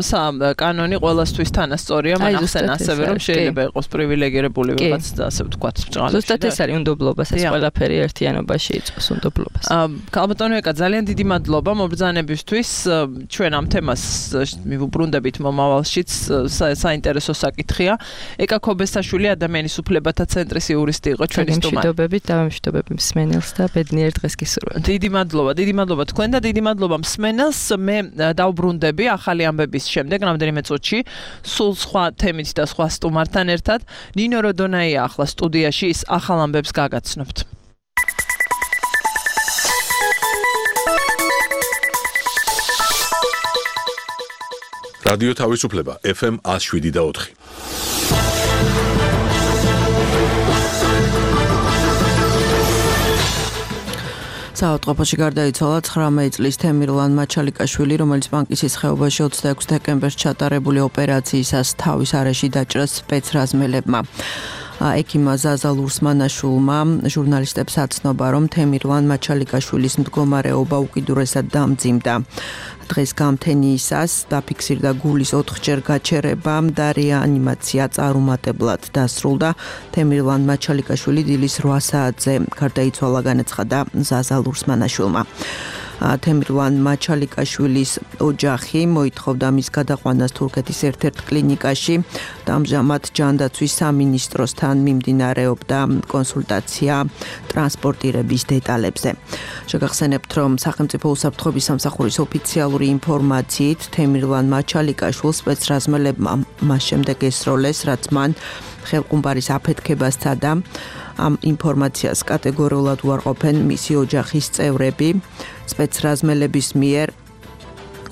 კანონი ყველასთვის თანასწორია, მაგრამ ასევე რომ შეიძლება იყოს პრივილეგირებული ვიღაც და ასე ვთქვათ, ბჭყალებში. ზუსტად ეს არის უნდობლობა, ეს ყველაფერი ერთიანობაში იწყოს უნდობლობას. ქალბატონო ეკა, ძალიან დიდი მადლობა მობრძანებისთვის. ჩვენ ამ თემას მივუბრუნდებით მომავალშიც, საინტერესო საკითხია. ეკა ქობესაშვილი ადამიანის უფლებათა ცენტრის იურისტი იყო ჩვენი სტუმარი. მშვიდობებით და მშვიდობები მსმენელს და ბედნიერ დღეს გისურვებთ. დიდი მადლობა თქვენ და დიდი მადლობა მსმენელს. მე დავბრუნდები ახალი ამბების შემდეგ რამდენიმე წუთში სულ სხვა თემით და სხვა სტუმართან ერთად. ნინო როდონაია ახლა სტუდიაში, ის ახალ ამბებს გაგაცნობთ. რადიო თავისუფლება FM 107.4. საავადმყოფოში გარდაიცვალა 19 წლის თემირლან მაჩალიკაშვილი, რომელიც ბანკის ხეობაში 26 დეკემბერს ჩატარებული ოპერაციისას თავის არეში დაჭრას სპეცრაზმელებმა. ექიმა ზაზა ლურსმანაშვილმა ჟურნალისტებს აცნობა, რომ თემირლან მაჩალიკაშვილის მდგომარეობა უკიდურესად დამძიმდა. დღეს გამთენიისას დაფიქსირდა გულის 4-ჯერ გაჩერება და რეანიმაცია წარუმატებლად დასრულდა. თემირლან მაჩალიკაშვილი დილის 8 საათზე გარდაიცვალა, განაცხადა ზაზა ლურსმანაშვილმა. თემირლან მაჩალიკაშვილის ოჯახი მოითხოვდა მის გადაყვანას თურქეთის ერთ-ერთ კლინიკაში და ამჟამად ჯანდაცვის სამინისტროსთან მიმდინარეობდა კონსულტაცია ტრანსპორტირების დეტალებზე. შეგახსენებთ, რომ სახელმწიფო უსაფრთხოების სამსახურის ოფიციალური ინფორმაციით თემირლან მაჩალიკაშვილს სპეცრაზმელებმა მას შემდეგ ესროლეს, რაც მან ხელყუმბარის აფეთქებასა და ამ ინფორმაციას კატეგორიულად უარყოფენ მისი ოჯახის წევრები. სპეცრაზმელების მიერ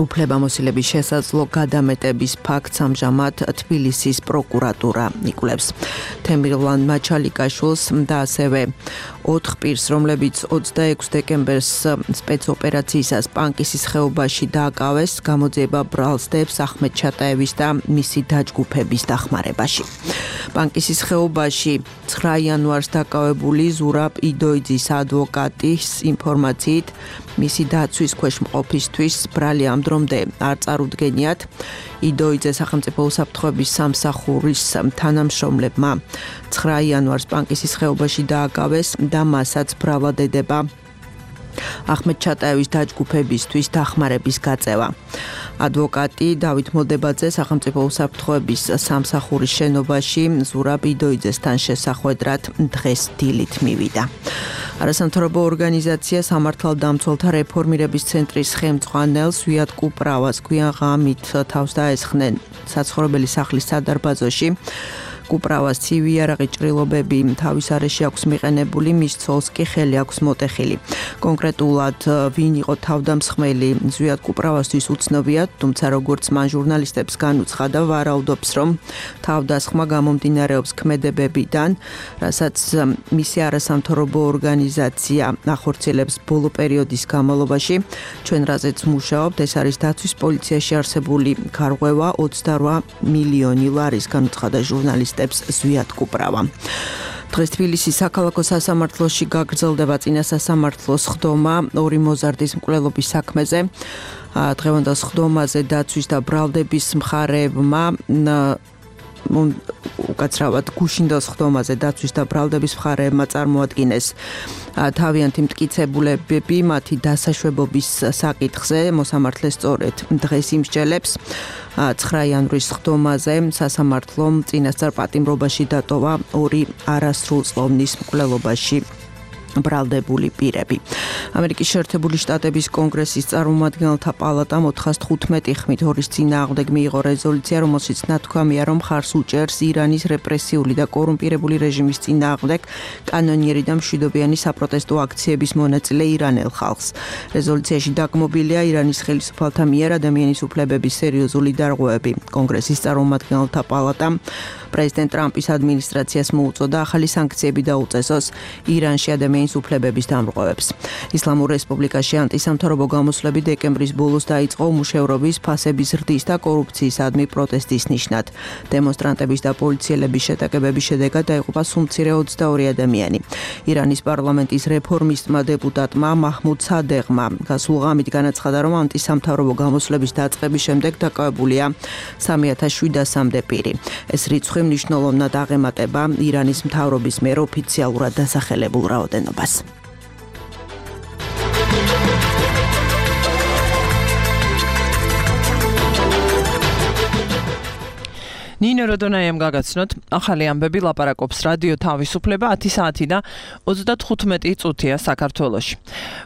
უფლებამოსილების შესაძლო გადამეტების ფაქტს ამჟამად თბილისის პროკურატურა იკვლევს. თემირლან მაჩალიკაშვილს და ასევე 4 პირს, რომლებიც 26 დეკემბერს სპეცოპერაციისას პანკისის ხეობაში დააკავეს, გამოძიება ბრალსდებს ახმედ ჩატაევის და მისი დაჯგუფების დახმარებაში. პანკისის ხეობაში 9 იანვარს დაკავებული ზურაბ იდოიძის ადვოკატის ინფორმაციით მისი დაცვის ქვეშ მყოფისთვის ბრალი ამ დრომდე არ წარუდგენიათ. იდოიძე სახელმწიფო უსაფრთხოების სამსახურის თანამშრომლებმა 9 იანვარს პანკისის ხეობაში დააკავეს და მასაც ბრალად ედება ახმედ ჩატაევის დაჯგუფებისთვის დახმარების გაწევა. ადვოკატი დავით მოლდებაძე სახელმწიფო უსაფრთხოების სამსახურის შენობაში ზურაბ იდოიძესთან შესახვედრად დღეს დილით მივიდა. არასამთავრობო ორგანიზაცია სამართალდამცველთა რეფორმირების ცენტრის ხელმძღვანელს ვიად კუპრავას გვიან ღამით თავს დაესხნენ საცხოვრებელი სახლის სადარბაზოში. კუპრავას ცივი იარაღი ჭრილობები თავის არეში აქვს მიყენებული, მის ცოლს კი ხელი აქვს მოტეხილი. კონკრეტულად ვინ იყო თავდამსხმელი ზვიად კუპრავასთვის უცნობია, თუმცა როგორც მან ჟურნალისტებს განუცხადა, ვარაუდობს, რომ თავდასხმა გამომდინარეობს ქმედებებიდან, რასაც მისი არასამთავრობო ორგანიზაცია ახორციელებს ბოლო პერიოდის განმავლობაში. ჩვენ რაზეც მუშაობთ, ეს არის დაცვის პოლიციაში არსებული გარღვევა 28 მილიონი ლარის, განუცხადა ჟურნალისტებს ზვიად კუპრავა. დღეს თბილისის საქალაქო სასამართლოში გაგრძელდება წინა სასამართლოს ხდომა ორი მოზარდის მკვლელობის საქმეზე. დღევანდელ ხდომაზე დაცვის და ბრალდების მხარეებმა უკაცრავად გუშინდელ ხდომაზე დაცვის და ბრალდების მხარეებმა წარმოადგინეს თავიანთი მტკიცებულებები მათი დასაშვებობის საკითხზე. მოსამართლე სწორედ დღეს იმსჯელებს 9 იანვრის ხდომაზე სასამართლომ წინასწარ პატიმრობაში დატოვა ორი არასრულწლოვნის მკვლელობაში ბრალდებული პირები. ამერიკის შეერთებული შტატების კონგრესის წარმომადგენელთა პალატამ 415 ხმით ორის წინააღმდეგ მიიღო რეზოლუცია, რომელშიც ნათქვამია, რომ ხარს უჭერს ირანის რეპრესიული და კორუმპირებული რეჟიმის წინააღმდეგ კანონიერი და მშვიდობიანი საპროტესტო აქციების მონაწილე ირანელ ხალხს. რეზოლუციაში დაგმობილია ირანის ხელისუფალთა მიერ ადამიანის უფლებების სერიოზული დარღვევები. კონგრესის წარმომადგენელთა პალატამ პრეზიდენტ ტრამპის ადმინისტრაციას მოუწოდა ახალი სანქციები დაუწესოს ირანში ადამიანის უფლებების დამრღვევებს. ისლამურ რესპუბლიკაში ანტისამთავრობო გამოსვლები დეკემბრის ბოლოს დაიწყო უმუშევრობის, ფასების ზრდის და კორუფციისადმი პროტესტის ნიშნად. დემონსტრანტების და პოლიციელების შეტაკებების შედეგად დაიღუპა სულ მცირე 22 ადამიანი. ირანის პარლამენტის რეფორმისტმა დეპუტატმა მაჰმუდ სადეღმა გასულ ღამით განაცხადა, რომ ანტისამთავრობო გამოსვლების დაწყების შემდეგ დაკავებულია 3700-მდე პირი. ეს რიცხვი მნიშვნელოვნად აღემატება ირანის მთავრობის მიერ ოფიციალურად დასახელებულ რაოდენობას. ნინო როდონაიამ გაგაცნოთ, ახალი ამბები ლაპარაკობს რადიო თავისუფლება 10 საათი და 35 წუთია საქართველოში.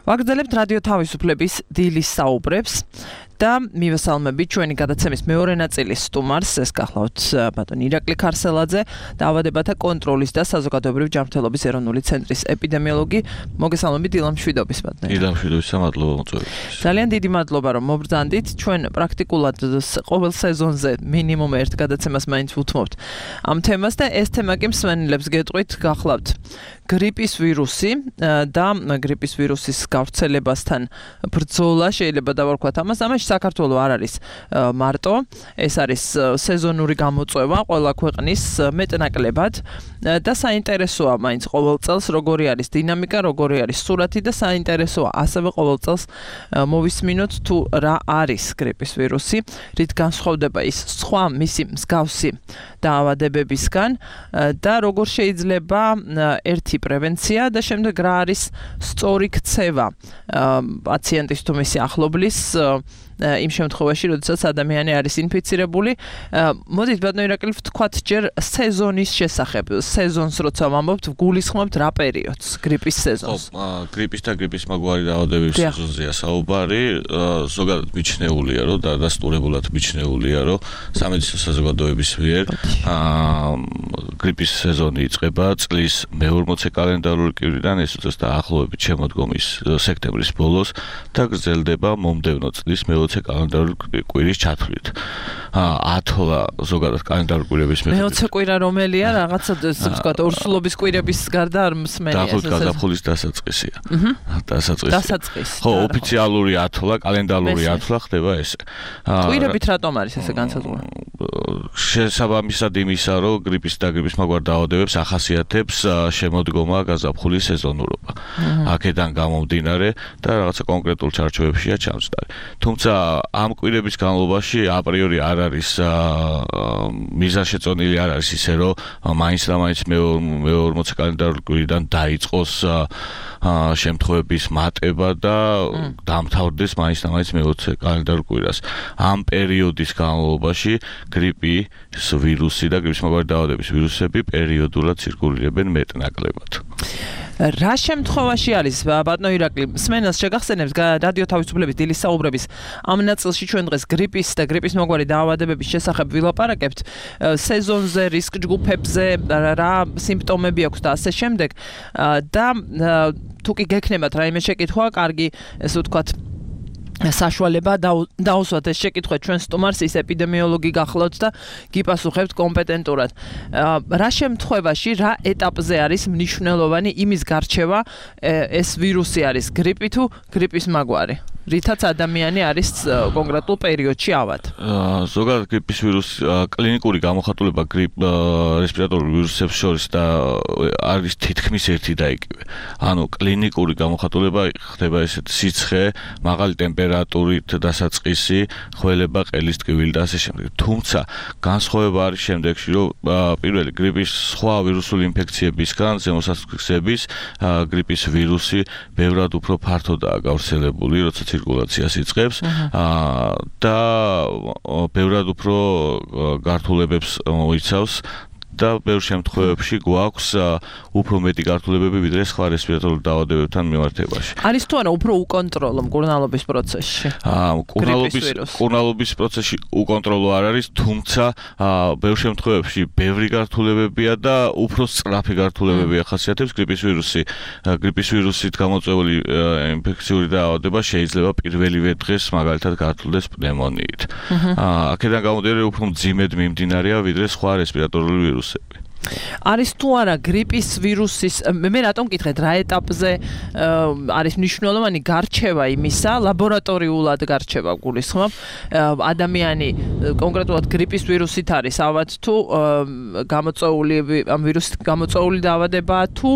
ვაგრძელებთ რადიო თავისუფლების დილის საუბრებს და მივესალმებით ჩვენი გადაცემის მეორე ნაწილის სტუმარს, ეს გახლავთ ბატონ ირაკლი ქარსელაძე, დაავადებათა კონტროლის და საზოგადოებრივი ჯანმრთელობის ეროვნული ცენტრის ეპიდემიოლოგი. მოგესალმებით დილამ მშვიდობის ბატონო. დილამ მშვიდობის, მადლობა მოწვევისთვის. ძალიან დიდი მადლობა რომ მობრძანდით. ჩვენ პრაქტიკულად ყოველ სეზონზე მინიმუმ ერთ გადაცემას მაინც ვუთმობთ ამ თემას და ეს თემა კი მსმენელებს გეტყვით გახლავთ გრიპის ვირუსი და გრიპის ვირუსის გავრცელებასთან ბრძოლა შეიძლება დავარქვათ ამას. ამაში საქართველოს არ არის მარტო, ეს არის სეზონური გამოწვევა ყველა ქვეყნის მეტნაკლებად და საინტერესოა მაინც ყოველ წელს როგორი არის დინამიკა, როგორი არის სურათი და საინტერესოა ასევე ყოველ წელს მოვისმინოთ თუ რა არის გრიპის ვირუსი, რით განსხვავდება ის სხვა მისი მსგავსი დაავადებებისგან და როგორ შეიძლება ერთი პრევენცია და შემდეგ რა არის სწორი ქცევა პაციენტის თუ მისი ახლობლის იმ შემთხვევაში, როდესაც ადამიანი არის ინფიცირებული. მოდით ბატონო ირაკლი ვთქვათ ჯერ სეზონის შესახებ. სეზონს როცა ვამბობთ, გულისხმობთ რა პერიოდს? გრიპის სეზონს. გრიპის და გრიპის მაგვარი დაავადებების სეზონზეა საუბარი. ზოგადად მიჩნეულია, რომ და დასტურებულად მიჩნეულია, რომ სამედიცინო საზოგადოების მიერ გრიპის სეზონი იწყება წლის მე-40 კალენდარული კვირიდან, ეს უწევს დაახლოებით შემოდგომის სექტემბრის ბოლოს და გრძელდება მომდევნო წლის მე-20 კალენდარული კვირის ჩათვლით. 10 ზოგადად კალენდარული კვირების მე-20 კვირა რომელია? რაღაცა ესე ვთქვათ, ორსულობის კვირების გარდა არ მსმენია. დაახლოებით გაზაფხულის დასაწყისია. დასაწყისი. ხო, ოფიციალური 10, კალენდარული 10 ხდება ესე. კვირებით რატომ არის ესე განსაზღვრა? შესაბამისად იმისა, რომ გრიპის და გრიპის მაგვარ დაავადებებს ახასიათებს შემოდგომა გაზაფხულის სეზონურობა. აქედან გამომდინარე და რაღაცა კონკრეტულ ჩარჩოებშია ჩამწდარი. თუმცა ამ კვირების განმავლობაში აპრიორი არ არის მიზანშეწონილი არ არის ისე რომ მაინც და მაინც მე-40 კალენდარული კვირიდან დაიწყოს შემთხვევების მატება და დამთავრდეს მაინც და მაინც მე-20 კალენდარულ კვირას. ამ პერიოდის განმავლობაში გრიპის ვირუსი და გრიპის მაგვარი დაავადების ვირუსები პერიოდულად ცირკულირებენ მეტნაკლებად. რა შემთხვევაში არის ბატონო ირაკლი მსმენელს შეგახსენებს რადიო თავისუფლების დილის საუბრების ამ ნაწილში ჩვენ დღეს გრიპის და გრიპის მაგვარი დაავადებების შესახებ ვილაპარაკებთ სეზონზე, რისკ ჯგუფებზე, რა სიმპტომები აქვს და ასე შემდეგ და თუ კი გექნებათ რაიმე შეკითხვა, კარგი ესე ვთქვათ საშუალება დაუსვათ ეს შეკითხვა ჩვენ სტუმარს, ის ეპიდემიოლოგი გახლავთ და გიპასუხებთ კომპეტენტურად. რა შემთხვევაში, რა ეტაპზე არის მნიშვნელოვანი იმის გარჩევა ეს ვირუსი არის გრიპი თუ გრიპის მაგვარი? რითაც ადამიანი არის კონკრეტულ პერიოდში ავად. ზოგადად გრიპის ვირუსი კლინიკური გამოხატულება რესპირატორულ ვირუსებს შორის და არის თითქმის ერთი და იგივე. ანუ კლინიკური გამოხატულება ხდება ესეთ სიცხე, მაღალი ტემპერატურით დასაწყისი, ხველება, ყელის ტკივილი და ასე შემდეგ. თუმცა განსხვავება არის შემდეგში, რომ პირველი გრიპის სხვა ვირუსული ინფექციებისგან ზემოსასხვის გრიპის ვირუსი ბევრად უფრო ფართოდაა გავრცელებული, როცა ცირკულაციას იწყებს და ბევრად უფრო გართულებებს მოიცავს და ბევრ შემთხვევებში გვაქვს უფრო მეტი გართულებები ვიდრე სხვა რესპირატორულ დაავადებებთან მიმართებაში. არის თუ არა უფრო უკონტროლო მკურნალობის პროცესში? მკურნალობის პროცესში უკონტროლო არ არის, თუმცა ბევრ შემთხვევებში ბევრი გართულებებია და უფრო სწრაფი გართულებები ახასიათებს გრიპის ვირუსი. გრიპის ვირუსით გამოწვეული ინფექციური დაავადება შეიძლება პირველივე დღეს მაგალითად გართულდეს პნევმონიით. აქედან გამომდინარე უფრო მძიმედ მიმდინარეა ვიდრე სხვა რესპირატორული ვირუსი. არის თუ არა გრიპის ვირუსის მე რატომ მკითხეთ რა ეტაპზე არის მნიშვნელოვანი გარჩევა იმისა ლაბორატორიულად გარჩევა გულისხმობ ადამიანი კონკრეტულად გრიპის ვირუსით არის ავად თუ გამოწვეული ამ ვირუსით გამოწვეული დაავადება თუ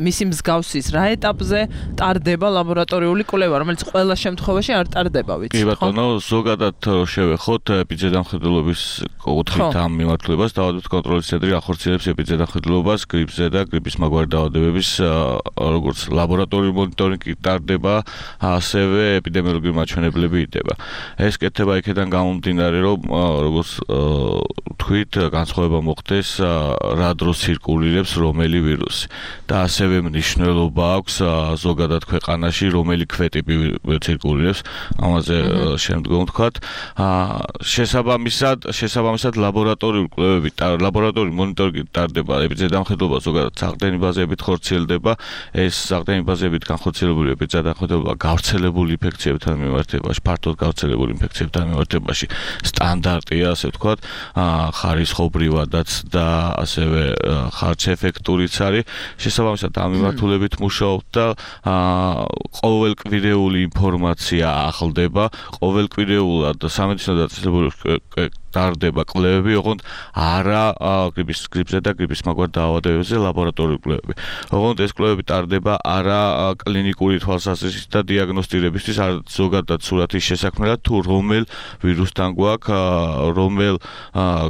მისი მსგავსის რა ეტაპზე ტარდება ლაბორატორიული კვლევა რომელიც ყველა შემთხვევაში არ ტარდება ვიცი კი ბატონო ზოგადად შევეხოთ ეპიდემიოლოგიის კუთხით ამ მიმართულებას დაავადებების კონტროლის ცენტრი ახორციელებს ეპიდემიოლოგიას გრიპზე და გრიპის მაგვარი დაავადებების როგორც ლაბორატორიული მონიტორინგი ტარდება, ასევე ეპიდემიოლოგიური მაჩვენებლები იდება. ეს კეთება იქიდან გამომდინარე, რომ როგორც თქვით, განსხვავება მოხდეს რა დროს ცირკულირებს რომელი ვირუსი და ასევე მნიშვნელობა აქვს ზოგადად ქვეყანაში რომელი ქვეტიპი ცირკულირებს, ამაზე შემდგომ ვთქვათ. შესაბამისად ლაბორატორიული კვლევები, ლაბორატორიული მონიტორინგი ტარდება ეპიდემიოლოგიას ზოგადად საყრდენი ბაზებით ხორციელდება ეს საყრდენი ბაზებით განხორციელებული ეპიდემიოლოგია გავრცელებული ინფექციებთან მიმართებაში ფართოდ გავრცელებული ინფექციებთან მიმართებაში სტანდარტია ასე ვთქვათ ხარისხობრივადაც და ასევე ხარჯეფექტურიც არის შესაბამისად ამ მიმართულებით მუშაობთ და ყოველკვირეული ინფორმაცია ახლდება ყოველკვირეულად სამედიცინო დაწესებულებებში ტარდება კვლევები, ოღონდ არა გრიპზე და გრიპის მაგვარ დაავადებებზე ლაბორატორიული კვლევები. ოღონდ ეს კვლევები ტარდება არა კლინიკური თვალსაზრისით და დიაგნოსტირებისთვის, არამედ ზოგადად სურათის შესაქმნელად თუ რომელ ვირუსთან გვაქვს, რომელ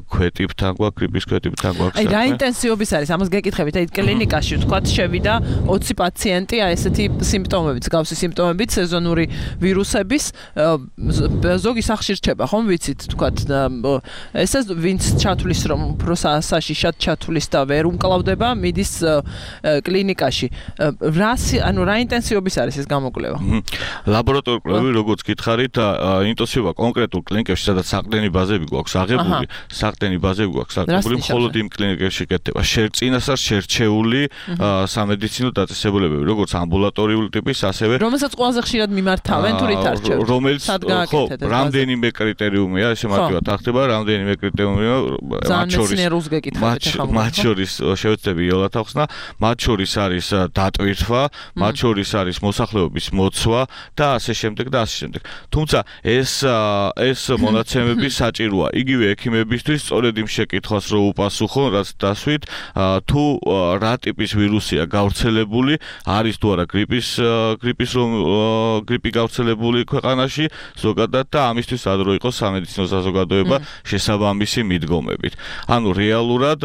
ქვეტიპთან გვაქვს, გრიპის ქვეტიპთან გვაქვს. აი რა ინტენსივობის არის? ამას გეკითხებით, აი კლინიკაში ვთქვათ შევიდა 20 პაციენტი, აი ესეთი სიმპტომებით, გავსი სიმპტომებით სეზონური ვირუსების ზოგი სახში რჩება, ხომ ვიცით, ვთქვათ ესე ვინც ჩათვლის რომ უფრო საშიშად ჩათვლის და ვერ უმკლავდება მიდის კლინიკაში რა ინტენსივობის არის ეს გამოკვლევა ლაბორატორიული კვლევები როგორც გითხარით ინტენსივობა კონკრეტულ კლინიკებში სადაც საყრდენი ბაზები გვაქვს აღებული მხოლოდ იმ კლინიკებში კეთდება წინასწარ შერჩეული სამედიცინო დაწესებულებები როგორც ამბულატორიული ტიპის ასევე რომელსაც ყველაზე ხშირად მიმართავენ თუ რით არჩევთ რომელიც ხო რამდენიმე კრიტერიუმია ესე მარტივად ახდება რამდენიმე კრიტერიუმია მათ შორის შევეცდები იოლად ახსნა მათ შორის არის დატვირთვა მათ შორის არის მოსახლეობის მოცვა და ასე შემდეგ და ასე შემდეგ თუმცა ეს მონაცემები საჭიროა იგივე ექიმებისთვის სწორედ იმ შეკითხვას რო უპასუხონ რაც დასვით თუ რა ტიპის ვირუსია გავრცელებული არის თუ არა გრიპი გავრცელებული ქვეყანაში ზოგადად და ამისთვის ადრო იყოს სამედიცინო საზოგადოება შესაბამისი მიდგომებით. ანუ რეალურად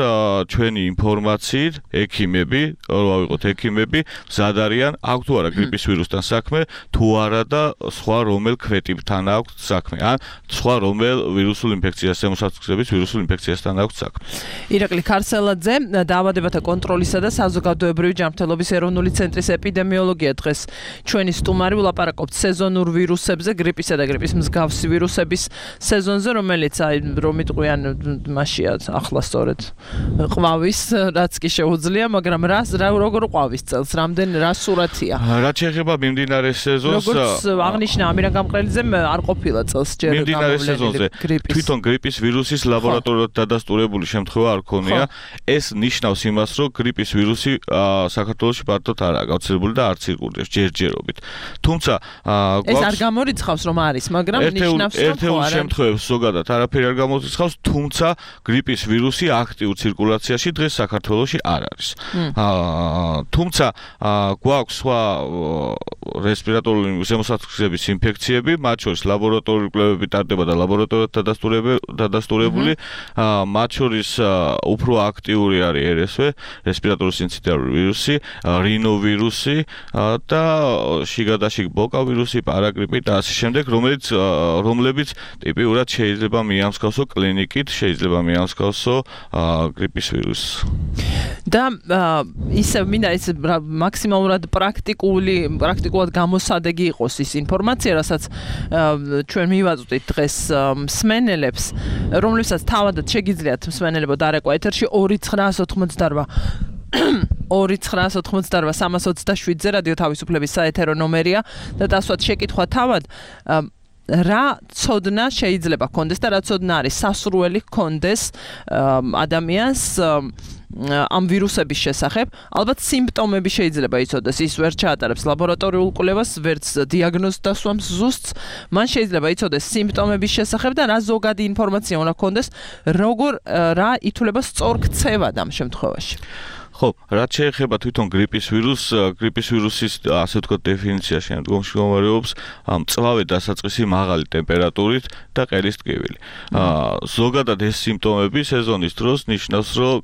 ჩვენი ინფორმაციით ექიმები, რო ავიღოთ ექიმები, მზად არიან აქვს თუ არა გრიპის ვირუსთან საქმე, თუ არა და სხვა რომელ ქვეტიპთან აქვს საქმე, ან სხვა რომელ ვირუსულ ინფექციას ემოსასწრების ვირუსულ ინფექციასთან აქვს საქმე. ირაკლი ქარსელაძე, დაავადებათა კონტროლისა და საზოგადოებრივი ჯანმრთელობის ეროვნული ცენტრის ეპიდემიოლოგია დღეს ჩვენი სტუმარი ვლაპარაკობთ სეზონურ ვირუსებზე, გრიპისა და გრიპის მსგავსი ვირუსების სეზონზე, რომელიც აი რომ იტყვიან მაშია ახლა სწორედ ყვავის რაც კი შეუძლია, მაგრამ როგორ ყვავის წელს, რამდენ რა სურათია? რაც შეეხება მიმდინარე სეზონს, როგორც აღნიშნა ამირან გამყრელიძემ არ ყოფილა წელს ჯერ მიმდინარე სეზონზე თვითონ გრიპის ვირუსის ლაბორატორიულად დადასტურებული შემთხვევა არ ქონია. ეს ნიშნავს იმას, რომ გრიპის ვირუსი საქართველოში ფართოდ არაა გავრცელებული და არც ირგვლივ ჯერჯერობით. თუმცა ეს არ გამორიცხავს რომ არის, მაგრამ ნიშნავს რომ ერთ-ერთ შემთხვევებში ზოგადად არაფერი არ გამორიცხავს, თუმცა გრიპის ვირუსი აქტიურ ცირკულაციაში დღეს საქართველოში არ არის. თუმცა გვაქვს სხვა რესპირატორული ზემოსათქვისების ინფექციები, მათ შორის ლაბორატორიული კვლევები ტარდება და ლაბორატორიულად დადასტურებული, მათ შორის უფრო აქტიური არის RSV, რესპირატორული სინციტარული ვირუსი, რინოვირუსი და შიგადაშიგ ბოკა ვირუსი, პარაგრიპი და ასე შემდეგ, რომლებიც ტიპიურად შეიძლება მიამსგავსო კლინიკით, შეიძლება მიამსგავსო გრიპის ვირუსს. და ისე მინდა ეს მაქსიმალურად პრაქტიკულად გამოსადეგი იყოს ის ინფორმაცია, რასაც ჩვენ მივაწვდით დღეს მსმენელებს, რომლებსაც თავადაც შეგიძლიათ მსმენელებო დარეკვა ეთერში 2988 299-327-ზე რადიო თავისუფლების საეთერო ნომერია და დასვათ შეკითხვა თავად რა ცოდნა შეიძლება ქონდეს და რა ცოდნა არის სასურველი ქონდეს ადამიანს ამ ვირუსების შესახებ. ალბათ სიმპტომები შეიძლება იცოდეს, ის ვერ ჩაატარებს ლაბორატორიულ კვლევას, ვერც დიაგნოზს დასვამს ზუსტს. მან შეიძლება იცოდეს სიმპტომების შესახებ და რა ზოგადი ინფორმაცია უნდა ქონდეს, რა ითვლება სწორ ქცევად ამ შემთხვევაში. ხო, რაც შეეხება თვითონ გრიპის ვირუსის ასე ვთქვათ დეფინიცია შემდგომში მდგომარეობს მწვავე დასაწყისი მაღალი ტემპერატურით და ყელის ტკივილი. ზოგადად ეს სიმპტომები სეზონის დროს ნიშნავს, რომ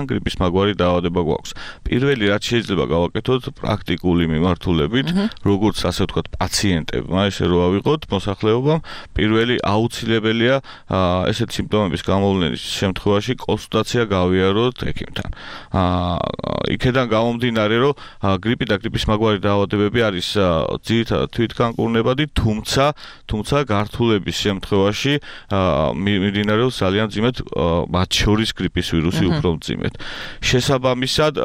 გრიპის მაგვარი დაავადება გვაქვს. პირველი რაც შეიძლება გავაკეთოთ პრაქტიკული მიმართულებით, როგორც ასე ვთქვათ პაციენტებმა, ესე რომ ავიღოთ მოსახლეობამ, პირველი აუცილებელია ესეთ სიმპტომების გამოვლენის შემთხვევაში კონსულტაცია გავიაროთ ექიმთან. იქედან გამომდინარე, რომ გრიპი და გრიპის მაგვარი დაავადებები არის ძირითადად თვითგანკურნებადი, თუმცა გართულების შემთხვევაში მიმდინარეობს ძალიან მძიმედ, მათ შორის გრიპის ვირუსი უფრო მძიმედ. შესაბამისად,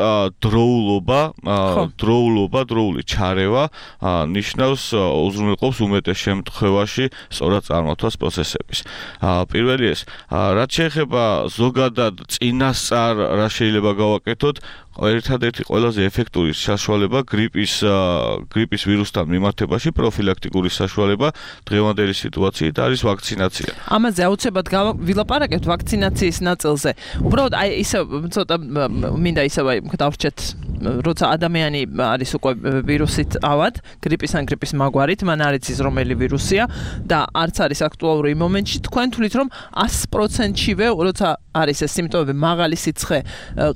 დროული ჩარევა ნიშნავს უზრუნველყოფს უმეტეს შემთხვევაში სწორად წარმართვას პროცესების. პირველი ეს, რაც შეეხება ზოგადად წინასწარ რა შეიძლება გავაკეთოთ, ერთადერთი ყველაზე ეფექტური საშუალება გრიპის ვირუსთან მიმართებაში პროფილაქტიკური საშუალება დღევანდელი სიტუაციით არის ვაქცინაცია. ამაზე აუცილებლად ვილაპარაკებთ ვაქცინაციის ნაწილზე. უბრალოდ აი ისე ცოტა მინდა ისევ დავრჩეთ, როცა ადამიანი არის უკვე ვირუსით ავად, გრიპის მაგვარით, მან არ იცის რომელი ვირუსია და არც არის აქტუალური იმ მომენტში, თქვენ თვლით რომ 100%-ივე, როცა არის ეს სიმპტომები, მაღალი სიცხე,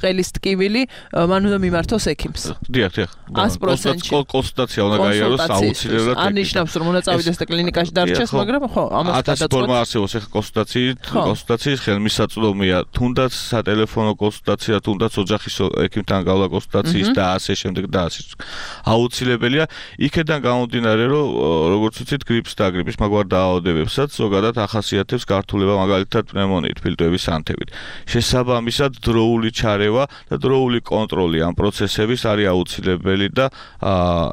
ყელის ტკივილი, მან უნდა მიმართოს ექიმს. დიახ. 100%-ში. კონსულტაცია უნდა გაიაროს აუცილებლად. არ ნიშნავს რომ უნდა წავიდეს და კლინიკაში დარჩეს, მაგრამ ხო, ამას გადაწყვეტ. 1000 ფორმა არსებობს ახლა კონსულტაციის ხელმისაწვდომია, თუნდაც სატელეფონო კონსულტაცია, თუნდაც ოჯახის ექიმთან გავლა კონსულტაციის და ასე შემდეგ და ასე. აუცილებელია იქედან გამომდინარე, რომ როგორც ვიცით, გრიპს და გრიპის მაგვარ დაავადებებსაც ზოგადად ახასიათებს გართულება მაგალითად პნევმონიით, ფილტვების ანთებით. შესაბამისად, დროული ჩარევა და დროული კონტროლი ამ პროცესების არის აუცილებელი და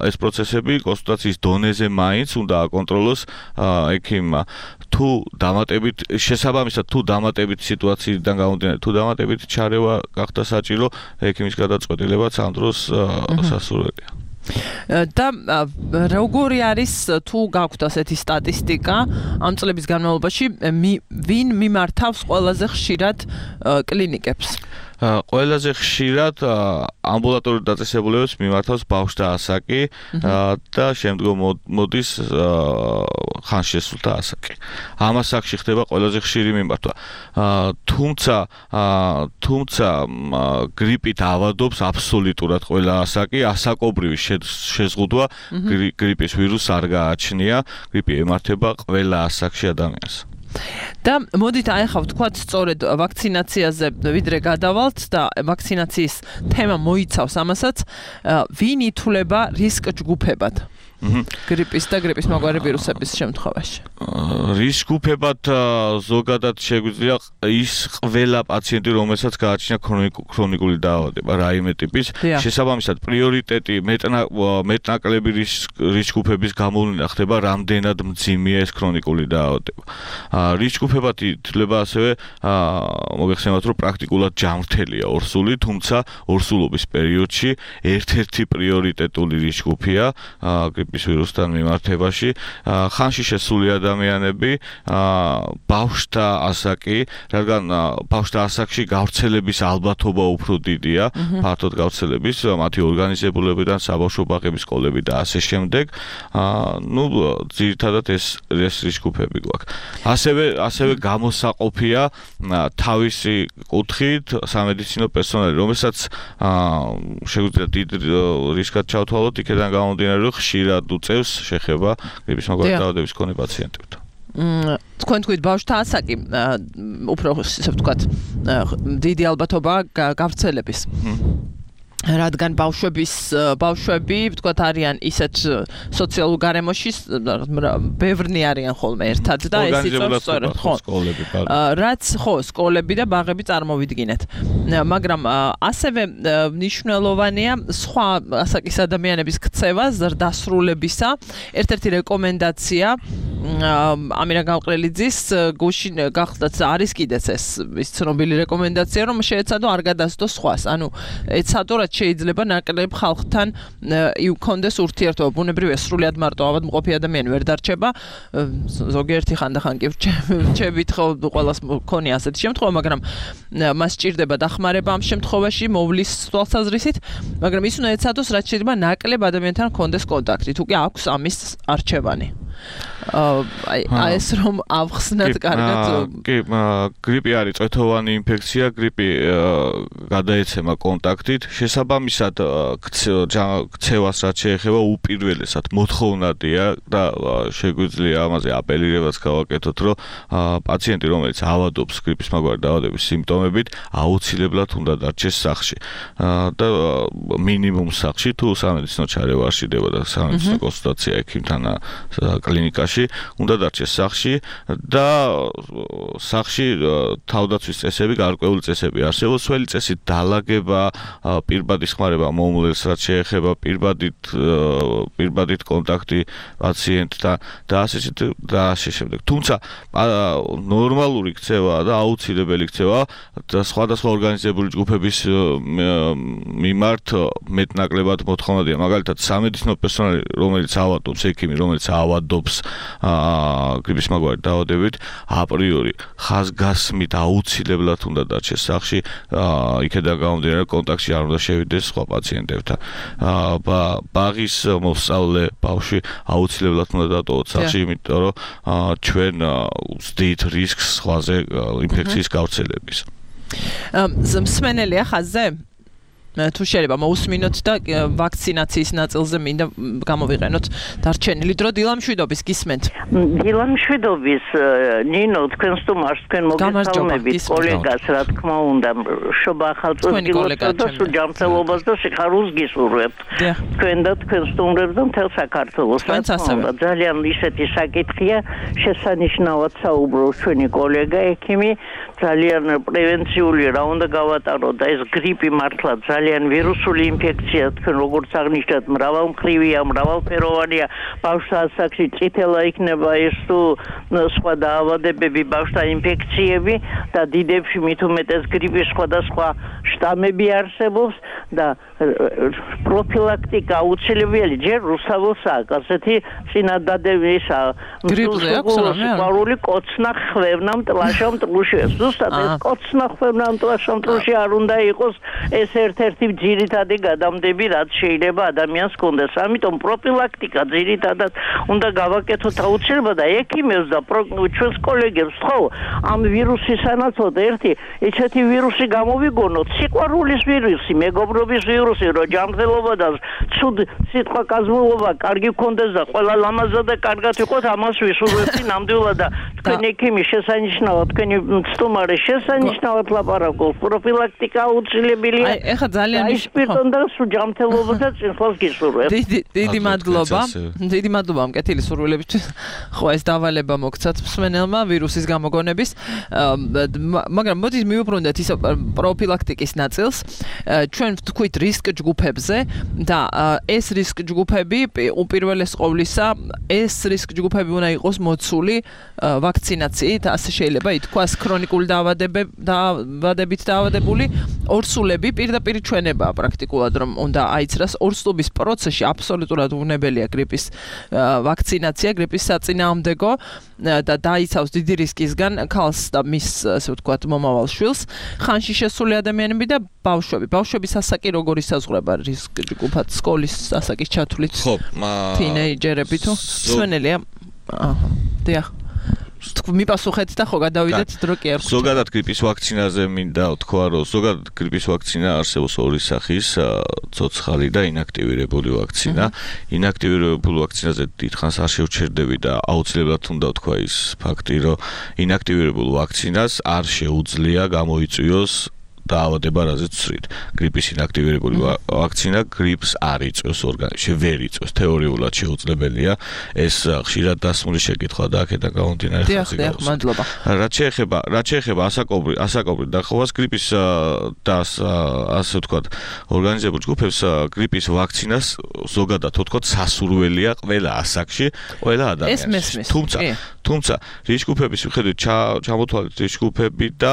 ეს პროცესები კონსულტაციის დონეზე მაინც უნდა აკონტროლოს ექიმმა. თუ დამატებით სიტუაციიდან გამომდინარე, თუ დამატებით ჩარევა გახდა საჭირო, ექიმის გადაწყვეტილებაც ამ დროს სასურველია. და როგორი არის თუ გაქვთ ასეთი სტატისტიკა ამ წლების განმავლობაში ვინ მიმართავს ყველაზე ხშირად კლინიკებს? ყველაზე ხშირად ამბულატორიულ დაწესებულებებს მიმართავს ბავშვთა ასაკი და შემდგომ მოდის ხანშესულთა ასაკი. ამ ასაკში ხდება ყველაზე ხშირი მიმართვა. თუმცა გრიპით ავადობს აბსოლუტურად ყველა ასაკი, ასაკობრივი შეზღუდვა გრიპის ვირუსს არ გააჩნია, გრიპი ემართება ყველა ასაკში ადამიანს. და მოდით ახლა ვთქვათ სწორედ ვაქცინაციაზე ვიდრე გადავალთ და ვაქცინაციის თემა მოიცავს ამასაც, ვინ ითვლება რისკ ჯგუფებად? გრიპის და გრიპის მაგვარი ვირუსების შემთხვევაში. რისკუფებად ზოგადად შეგვიძლია ის ყველა პაციენტი, რომელსაც გააჩნია ქრონიკული დაავადება, რაიმე ტიპის, შესაბამისად პრიორიტეტი მეტნაკლები რისკუფების გამოვლენა ხდება, რამდენად მძიმეა ეს ქრონიკული დაავადება. რისკუფებად ითვლება ასევე მოგეხსენებათ, რომ პრაქტიკულად ჯანმრთელია ორსული, თუმცა ორსულობის პერიოდში ერთ-ერთი პრიორიტეტული რისკუფია გრიპის ვირუსთან მიმართებაში. ხანში შესული ადამიანები, ბავშვთა ასაკი, რადგან ბავშვთა ასაკში გავრცელების ალბათობა უფრო დიდია, ფართოდ გავრცელების, მათი ორგანიზებულებიდან, საბავშვო ბაღების, სკოლები და ასე შემდეგ. ძირითადად ეს რისკუფები გვაქვს. ასევე გამოსაყოფია თავისი კუთხით სამედიცინო პერსონალი, რომელსაც შეგვიძლია დიდ რისკად ჩავთვალოთ, იქიდან გამომდინარე, რომ ხშირად უწევს შეხება გრიპის მაგვარი დაავადების მქონე პაციენტებთან. თქვენ თქვით ბავშვთა ასაკი უფრო ისე ვთქვათ დიდი ალბათობა გავრცელების. რადგან ბავშვები ვთქვათ არიან ისეთ სოციალურ გარემოში ბევრნი არიან ხოლმე ერთად და ეს იწვევს სწორედ რაც სკოლები და ბაღები წარმოვიდგინეთ. მაგრამ ასევე მნიშვნელოვანია სხვა ასაკის ადამიანების ქცევა ზრდასრულებისა. ერთ-ერთი რეკომენდაცია ამირა გამყრელიძის გუშინ გახლდათ არის კიდეც ეს ცნობილი რეკომენდაცია, რომ შეეცადო არ გადასდოს სხვას. ანუ ეცადო რაც შეიძლება ნაკლებ ხალხთან იქონდეს ურთიერთობა. ბუნებრივია სრულიად მარტო ავადმყოფი ადამიანი ვერ დარჩება. ზოგიერთი ხანდახან კი რჩებით ხო ყველას მქონია ასეთი შემთხვევა, მაგრამ მას სჭირდება დახმარება ამ შემთხვევაში მოვლის თვალსაზრისით, მაგრამ ის უნდა ეცადოს რაც შეიძლება ნაკლებ ადამიანთან ჰქონდეს კონტაქტი. თუ კი აქვს ამის არჩევანი. ეს რომ ავხსნათ კარგად. კი, გრიპი არის წვეთოვანი ინფექცია, გრიპი გადაეცემა კონტაქტით. შესაბამისად, ქცევას რაც შეეხება უპირველესად მოთხოვნადია და შეგვიძლია ამაზე აპელირებაც გავაკეთოთ, რომ პაციენტი, რომელიც ავადობს გრიპის მაგვარი დაავადების სიმპტომებით, აუცილებლად უნდა დარჩეს სახლში. და მინიმუმ სახლში, თუ სამედიცინო ჩარევა არ შეიძლება და სამედიცინო კონსულტაცია ექიმთან კლინიკაში, უნდა დარჩეს სახლში და სახლში თავდაცვის წესები, გარკვეული წესები არსებობს. სველი წესით დალაგება, პირბადი ხმარება მომლელს, რაც შეეხება პირბადით კონტაქტი პაციენტთან და ასე შემდეგ. თუმცა ნორმალური ქცევა და აუცილებელი ქცევა და სხვადასხვა ორგანიზებული ჯგუფების მიმართ მეტნაკლებად მოთხოვნადია. მაგალითად, სამედიცინო პერსონალი, რომელიც ავადობს, ექიმი, რომელიც ავადობს გრიპის მაგვარი დაავადებით, აპრიორი ხაზგასმით აუცილებლად უნდა დარჩეს სახლში, იქედან გამომდინარე კონტაქტში არ უნდა შევიდეს სხვა პაციენტებთან. ბაღის მოსწავლე ბავშვი აუცილებლად უნდა დატოვოთ სახლში, იმიტომ რომ ჩვენ ვზდით რისკს სხვაზე ინფექციის გავრცელების. მსმენელია ხაზზე? თუ შეიძლება მოусმინოთ და ვაქცინაციის ნაწილზე მინდა გამოვიყენოთ დარჩენილი დრო. დილა მშვიდობის გისმენთ. დილა მშვიდობის ნინო, თქვენ სტუმარს თქვენ მოგესალმებით, კოლეგას რა თქმა უნდა, შობა ახალწლოვანს და სუჯამწელობას და სიხარულს გისურვებთ. თქვენ და თქვენ სტუმრებს და მთელ საქართველოს. ძალიან ისეთი საკითხია, შესანიშნავად საუბრობს ჩვენი კოლეგა ექიმი, ძალიან პრევენციული რა უნდა გავატაროთ და ეს გრიპი მართლა ძალიან ვირუსული ინფექცია, თქვენ როგორც აღნიშნეთ, მრავალმხრივია, მრავალფეროვანია, ბავშვთა ასაკში წითელა იქნება ეს თუ სხვა დაავადებები, ბავშვთა ინფექციები და დიდებში მით უმეტეს გრიპის სხვადასხვა შტამები არსებობს და პროფილაქტიკა აუცილებელია. ჯერ რუსთაველსაა ასეთი წინადადებისა სიყვარული კოცნა ხვევნა მტლაშა მტლუში. ზუსტად ეს კოცნა ხვევნა მტლაშა მტლუში არ უნდა იყოს ეს ერთ-ერთი ძირითადი გადამდები, რაც შეიძლება ადამიანს ჰქონდეს. ამიტომ პროფილაქტიკა ძირითადად უნდა გავაკეთოთ აუცილებლად და ექიმებს და ჩვენს კოლეგებს ხო ამ ვირუსის სანაცვლოდ ერთი ესეთი ვირუსი გამოვიგონოთ, სიყვარულის ვირუსი, მეგობრობის მშვიდობის ვირუსი, რომ ჯანმრთელობა და ცუდ სიტყვა კაზმულობა კარგი გქონდეს და ყველა ლამაზად და კარგად იყოს, ამას ვისურვებთ ნამდვილად და თქვენი ექიმი შესანიშნავად, თქვენი სტუმარი შესანიშნავად ლაპარაკობს. პროფილაქტიკა აუცილებელია. ეხლა ძალიან სპირტონ და ჯანმრთელობა და წინსვლას გისურვებთ. დიდი მადლობა. დიდი მადლობა მკეთილი სურვილებისთვის. ხო, ეს დავალება მოგცათ მსმენელმა ვირუსის გამოგონების. მაგრამ მოდით მივუბრუნდეთ ის პროფილაქტიკის ნაწილს. ჩვენ ვთქვით რისკ ჯგუფებზე და ეს რისკ ჯგუფები უპირველეს ყოვლისა ეს რისკ ჯგუფები უნდა იყოს მოცული ვაქცინაციით, ასე შეიძლება ითქვას ქრონიკული დაავადებით დაავადებული ორსულები პირდაპირ ჩვენებაა პრაქტიკულად რომ უნდა აიცრას ორსულობის პროცესში აბსოლუტურად უნებელია გრიპის ვაქცინაცია, გრიპის საწინააღმდეგო და დაიცავს დიდი რისკისგან ქალს და მის ასე ვთქვათ მომავალ შვილს, ხანში შესული ადამიანები და ბავშვები. ბავშვების ასაკი როგორ ისაზღვრება რისკ ჯგუფად სკოლის ასაკის ჩათვლით? ხო, თინეიჯერები თუ სვენელია? დიახ. მიპასუხეთ და ხო გადავიდეთ დრო კი არ გვჭირდება. ზოგადად გრიპის ვაქცინაზე მინდა ვთქვა, რომ ზოგადად გრიპის ვაქცინა არსებობს ორი სახის, ცოცხალი და ინაქტივირებული ვაქცინა. ინაქტივირებული ვაქცინაზე დიდხანს არ შევჩერდები და აუცილებლად უნდა ვთქვა ის ფაქტი, რომ ინაქტივირებულ ვაქცინას არ შეუძლია გამოიწვიოს დაავადება, რაზეც ვსწრით. გრიპის ინაქტივირებული ვაქცინა გრიპს არ იწვევს ორგანიზმში, ვერ იწვევს. თეორიულად შეუძლებელია. ეს ხშირად დასმული შეკითხვა და აქედან გამომდინარე ხალხი გავს. მადლობა. რაც შეეხება ასაკობრივ დახოვას გრიპის და ასე ვთქვათ ორგანიზებულ ჯგუფებს გრიპის ვაქცინას ზოგადად ვთქვათ სასურველია ყველა ასაკში, ყველა ადამიანში. თუმცა რისკგრუპების მიხედვით ჩამოთვალეთ რისკგრუპები და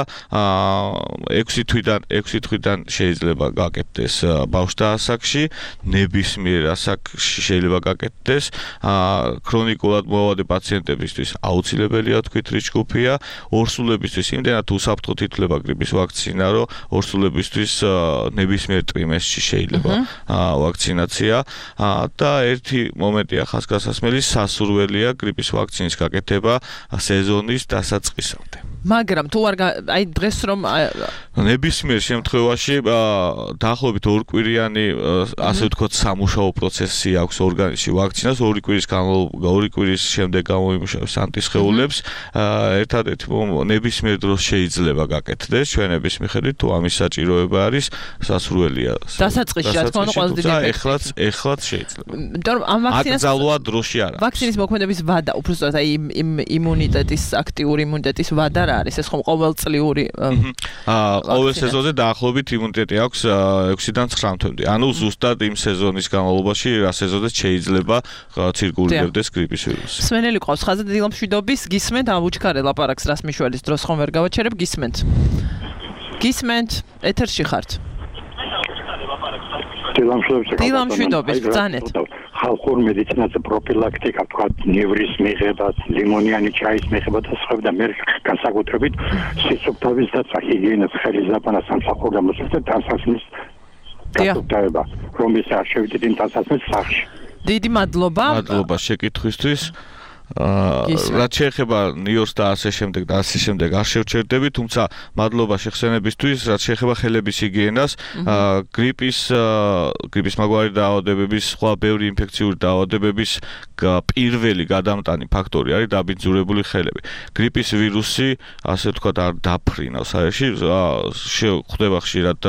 6 თვიდან შეიძლება გაკეთდეს ბავშვთა ასაკში, ნებისმიერ ასაკში შეიძლება გაკეთდეს, ქრონიკულად მოავადე პაციენტებისთვის აუცილებელია თქვით რისკგრუპია, ორსულებისთვის იმდენად უსაფრთხოდ ითვლება გრიპის ვაქცინა, რომ ორსულებისთვის ნებისმიერ ტრიმესტრში შეიძლება ვაქცინაცია და ერთი მომენტია ხაზგასასმელი, სასურველია გრიპის ვაქცინის გაკეთება სეზონის დასაწყისამდე. მაგრამ თუ არ აი დღეს რომ ნებისმიერ შემთხვევაში დაახლოებით ორკვირიანი ასე ვთქვათ სამუშაო პროცესი აქვს ორგანიზმში ვაქცინას, ორი კვირის შემდეგ გამოიმუშავებს ანტისხეულებს, ერთადერთი ნებისმიერ დროს შეიძლება გაკეთდეს ჩვენების მიხედვით, თუ ამის საჭიროება არის, სასურველია. დასაწყისში რა თქმა უნდა ყველაზე დიდი ეხლაც შეიძლება. იმიტომ რომ ამ ვაქცინას აკრძალვა დროში არა. ვაქცინის მოქმედების ვადა, უბრალოდ აი იმუნიტეტის აქტიური იმუნიტეტის ვადა არის ეს ხომ ყოველწლიური ყოველ სეზონზე დაახლოებით იმუნიტეტი აქვს 6-დან 9 თვემდე. ანუ ზუსტად იმ სეზონის განმავლობაში რა სეზონზეც შეიძლება ცირკულირებდეს გრიპის ვირუსი. სვენელი ყავს ხაზზე დილამშვიდობის, გისმენთ ავუჩქარე ლაპარაკს რასმიშველის დროს ხომ ვერ გავაჩერებ, გისმენთ, ეთერში ხართ. დილამშვიდობის, ბრძანეთ. ხალხურ მედიცინაზე პროფილაქტიკა, თქვათ, ნევრის მიღება, ლიმონიანი ჩაის მიღება და სხვა და მე განსაკუთრებით სიცოცხლის დაცვა, ჰიგიენას, ხელის დაბანა, სამსახური და მოსწრაფე დასასმის გასაგებია, რომელიც არ შევიდეთ იმ დასასმის სახში. დიდი მადლობა. მადლობა შეკითხვისთვის. რაც შეეხება ნიორს და ასე შემდეგ არ შევჩერდები, თუმცა მადლობა შეხსენებისთვის, რაც შეეხება ხელების ჰიგიენას, გრიპის მაგვარი დაავადებების, სხვა ბევრი ინფექციური დაავადებების პირველი გადამტანი ფაქტორი არის დაბინძურებული ხელები. გრიპის ვირუსი, ასე ვთქვათ, არ დაფრინავს აერში, ხდება ხშირად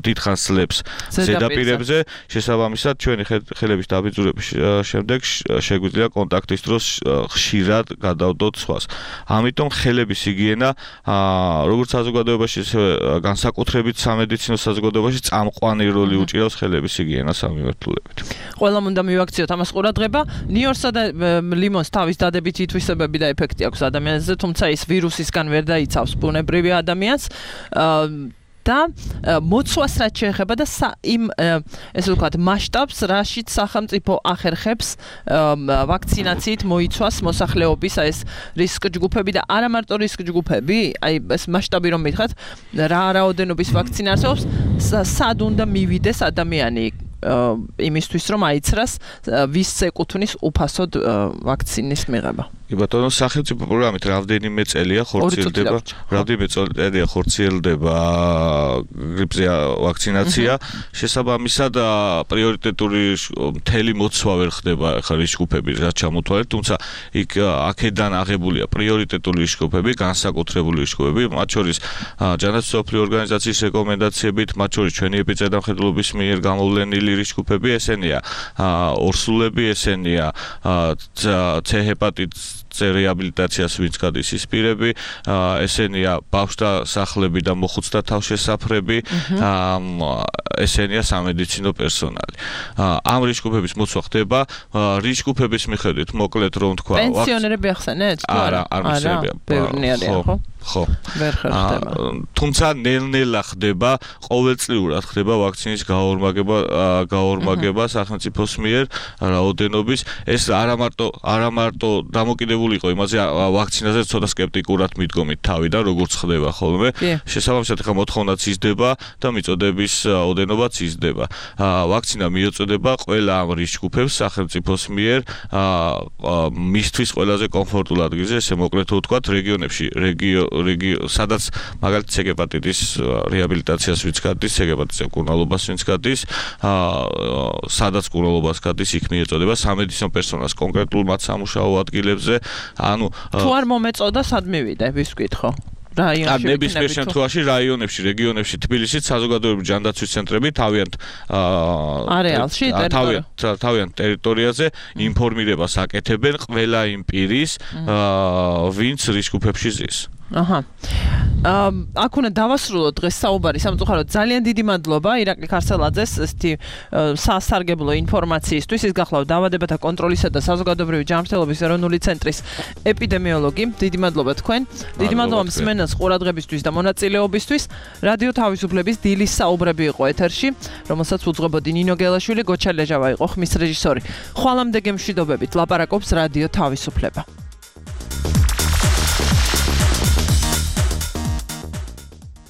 დიდხანს სლებს ზედაპირებზე, შესაბამისად, ჩვენი ხელების დაბინძურების შემდეგ შეგვიძლია კონტაქტის დროს ხშირად გადავდოთ სხვას. ამიტომ ხელების ჰიგიენა როგორც საზოგადოებაში, ისე განსაკუთრებით სამედიცინო საზოგადოებაში წამყვანი როლი უჭირავს ხელების ჰიგიენას ამმიმართულებით. ყველამ უნდა მივაქციოთ ამას ყურადღება. ნიორსა და ლიმონს თავის დადებითი თვისებები და ეფექტი აქვს ადამიანზე, თუმცა ის ვირუსისგან ვერ დაიცავს ბუნებრივი ადამიანს. და მოცვას რაც შეეხება და იმ ესე ვთქვათ მასშტაბს, რაშიც სახელმწიფო ახერხებს ვაქცინაციით მოიცვას მოსახლეობის ეს რისკ ჯგუფები და არა მარტო რისკ ჯგუფები, აი ეს მასშტაბი რომ მითხრათ, რა რაოდენობის ვაქცინა არსებობს, სად უნდა მივიდეს ადამიანი იმისთვის რომ აიცრას ვის ეკუთვნის უფასოდ ვაქცინის მიღება. კი ბატონო, სახელმწიფო პროგრამით რამდენიმე წელია ხორციელდება გრიპზე ვაქცინაცია. შესაბამისად პრიორიტეტული მთელი მოცვა ვერ ხდება ხა რისკგრუპები რაც ჩამოთვალეთ, თუმცა იქ აქედან აღებულია პრიორიტეტული რისკგრუპები, განსაკუთრებული რისკგრუპები, მათ შორის ჯანდაცვის მსოფლიო ორგანიზაციის რეკომენდაციებით, მათ შორის ჩვენი ეპიდემიოლოგიის მიერ გამოვლენილი რისკგრუპები ესენია ორსულები, ესენია C ჰეპატიტის რეაბილიტაციას ვინც გადის ის პირები, ესენია ბავშვთა სახლები და მოხუცთა თავშესაფრები, ესენია სამედიცინო პერსონალი. ამ რისკგრუპების მოცვა ხდება რისკგრუპების მიხედვით, მოკლედ რომ თქვა, პენსიონერები ახსენეთ? არა, არ მისწრებია. ხო. ვერ ხდება. თუმცა ნელ-ნელა ხდება, ყოველწლიურად ხდება ვაქცინის გაორმაგება სახელმწიფოს მიერ რაოდენობის. ეს არა მარტო დამოკიდებული იყო იმაზე, ვაქცინაზე ცოტა სკეპტიკურად მიდგომით თავიდან, როგორც ხდება ხოლმე. შესაბამისად, ხა მოთხოვნაც იზრდება და მიწოდების ოდენობაც იზრდება. ვაქცინა მიეწოდება ყველა ამ რისკგრუპებს სახელმწიფოს მიერ მისთვის ყველაზე კომფორტულ ადგილზე, ესე მოკლედ ვთქვათ, რეგიონებში, სადაც მაგალითად C ჰეპატიტის რეაბილიტაციას ვინც გადის, C ჰეპატიტის მკურნალობას ვინც გადის, სადაც მკურნალობას გადის, იქ მიეწოდება სამედიცინო პერსონალს კონკრეტულ მათ სამუშაო ადგილებზე. ანუ თუ არ მომეწოდა, სად მივიდე, ვის ვკითხო? რაიონებში ნებისმიერ შემთხვევაში რაიონებში, რეგიონებში, თბილისში საზოგადოებრივი ჯანდაცვის ცენტრები თავიანთ ტერიტორიაზე ინფორმირებას აკეთებენ ყველა იმ პირის, ვინც რისკგრუპებში ზის. აქ უნდა დავასრულოთ დღეს საუბარი სამწუხაროდ. ძალიან დიდი მადლობა ირაკლი ქარსელაძეს ესეთი სასარგებლო ინფორმაციისთვის. ის გახლავთ დაავადებათა კონტროლისა და საზოგადოებრივი ჯანმრთელობის ეროვნული ცენტრის ეპიდემიოლოგი. დიდი მადლობა თქვენ. დიდი მადლობა მსმენელს ყურადღებისთვის და მონაწილეობისთვის. რადიო თავისუფლების დილის საუბრები იყო ეთერში, რომელსაც უძღვებოდი ნინო გელაშვილი, გოჩა ლეჟავა იყო ხმის რეჟისორი. ხვალამდე გემშვიდობებით ლაპარაკობს რადიო თავისუფლება.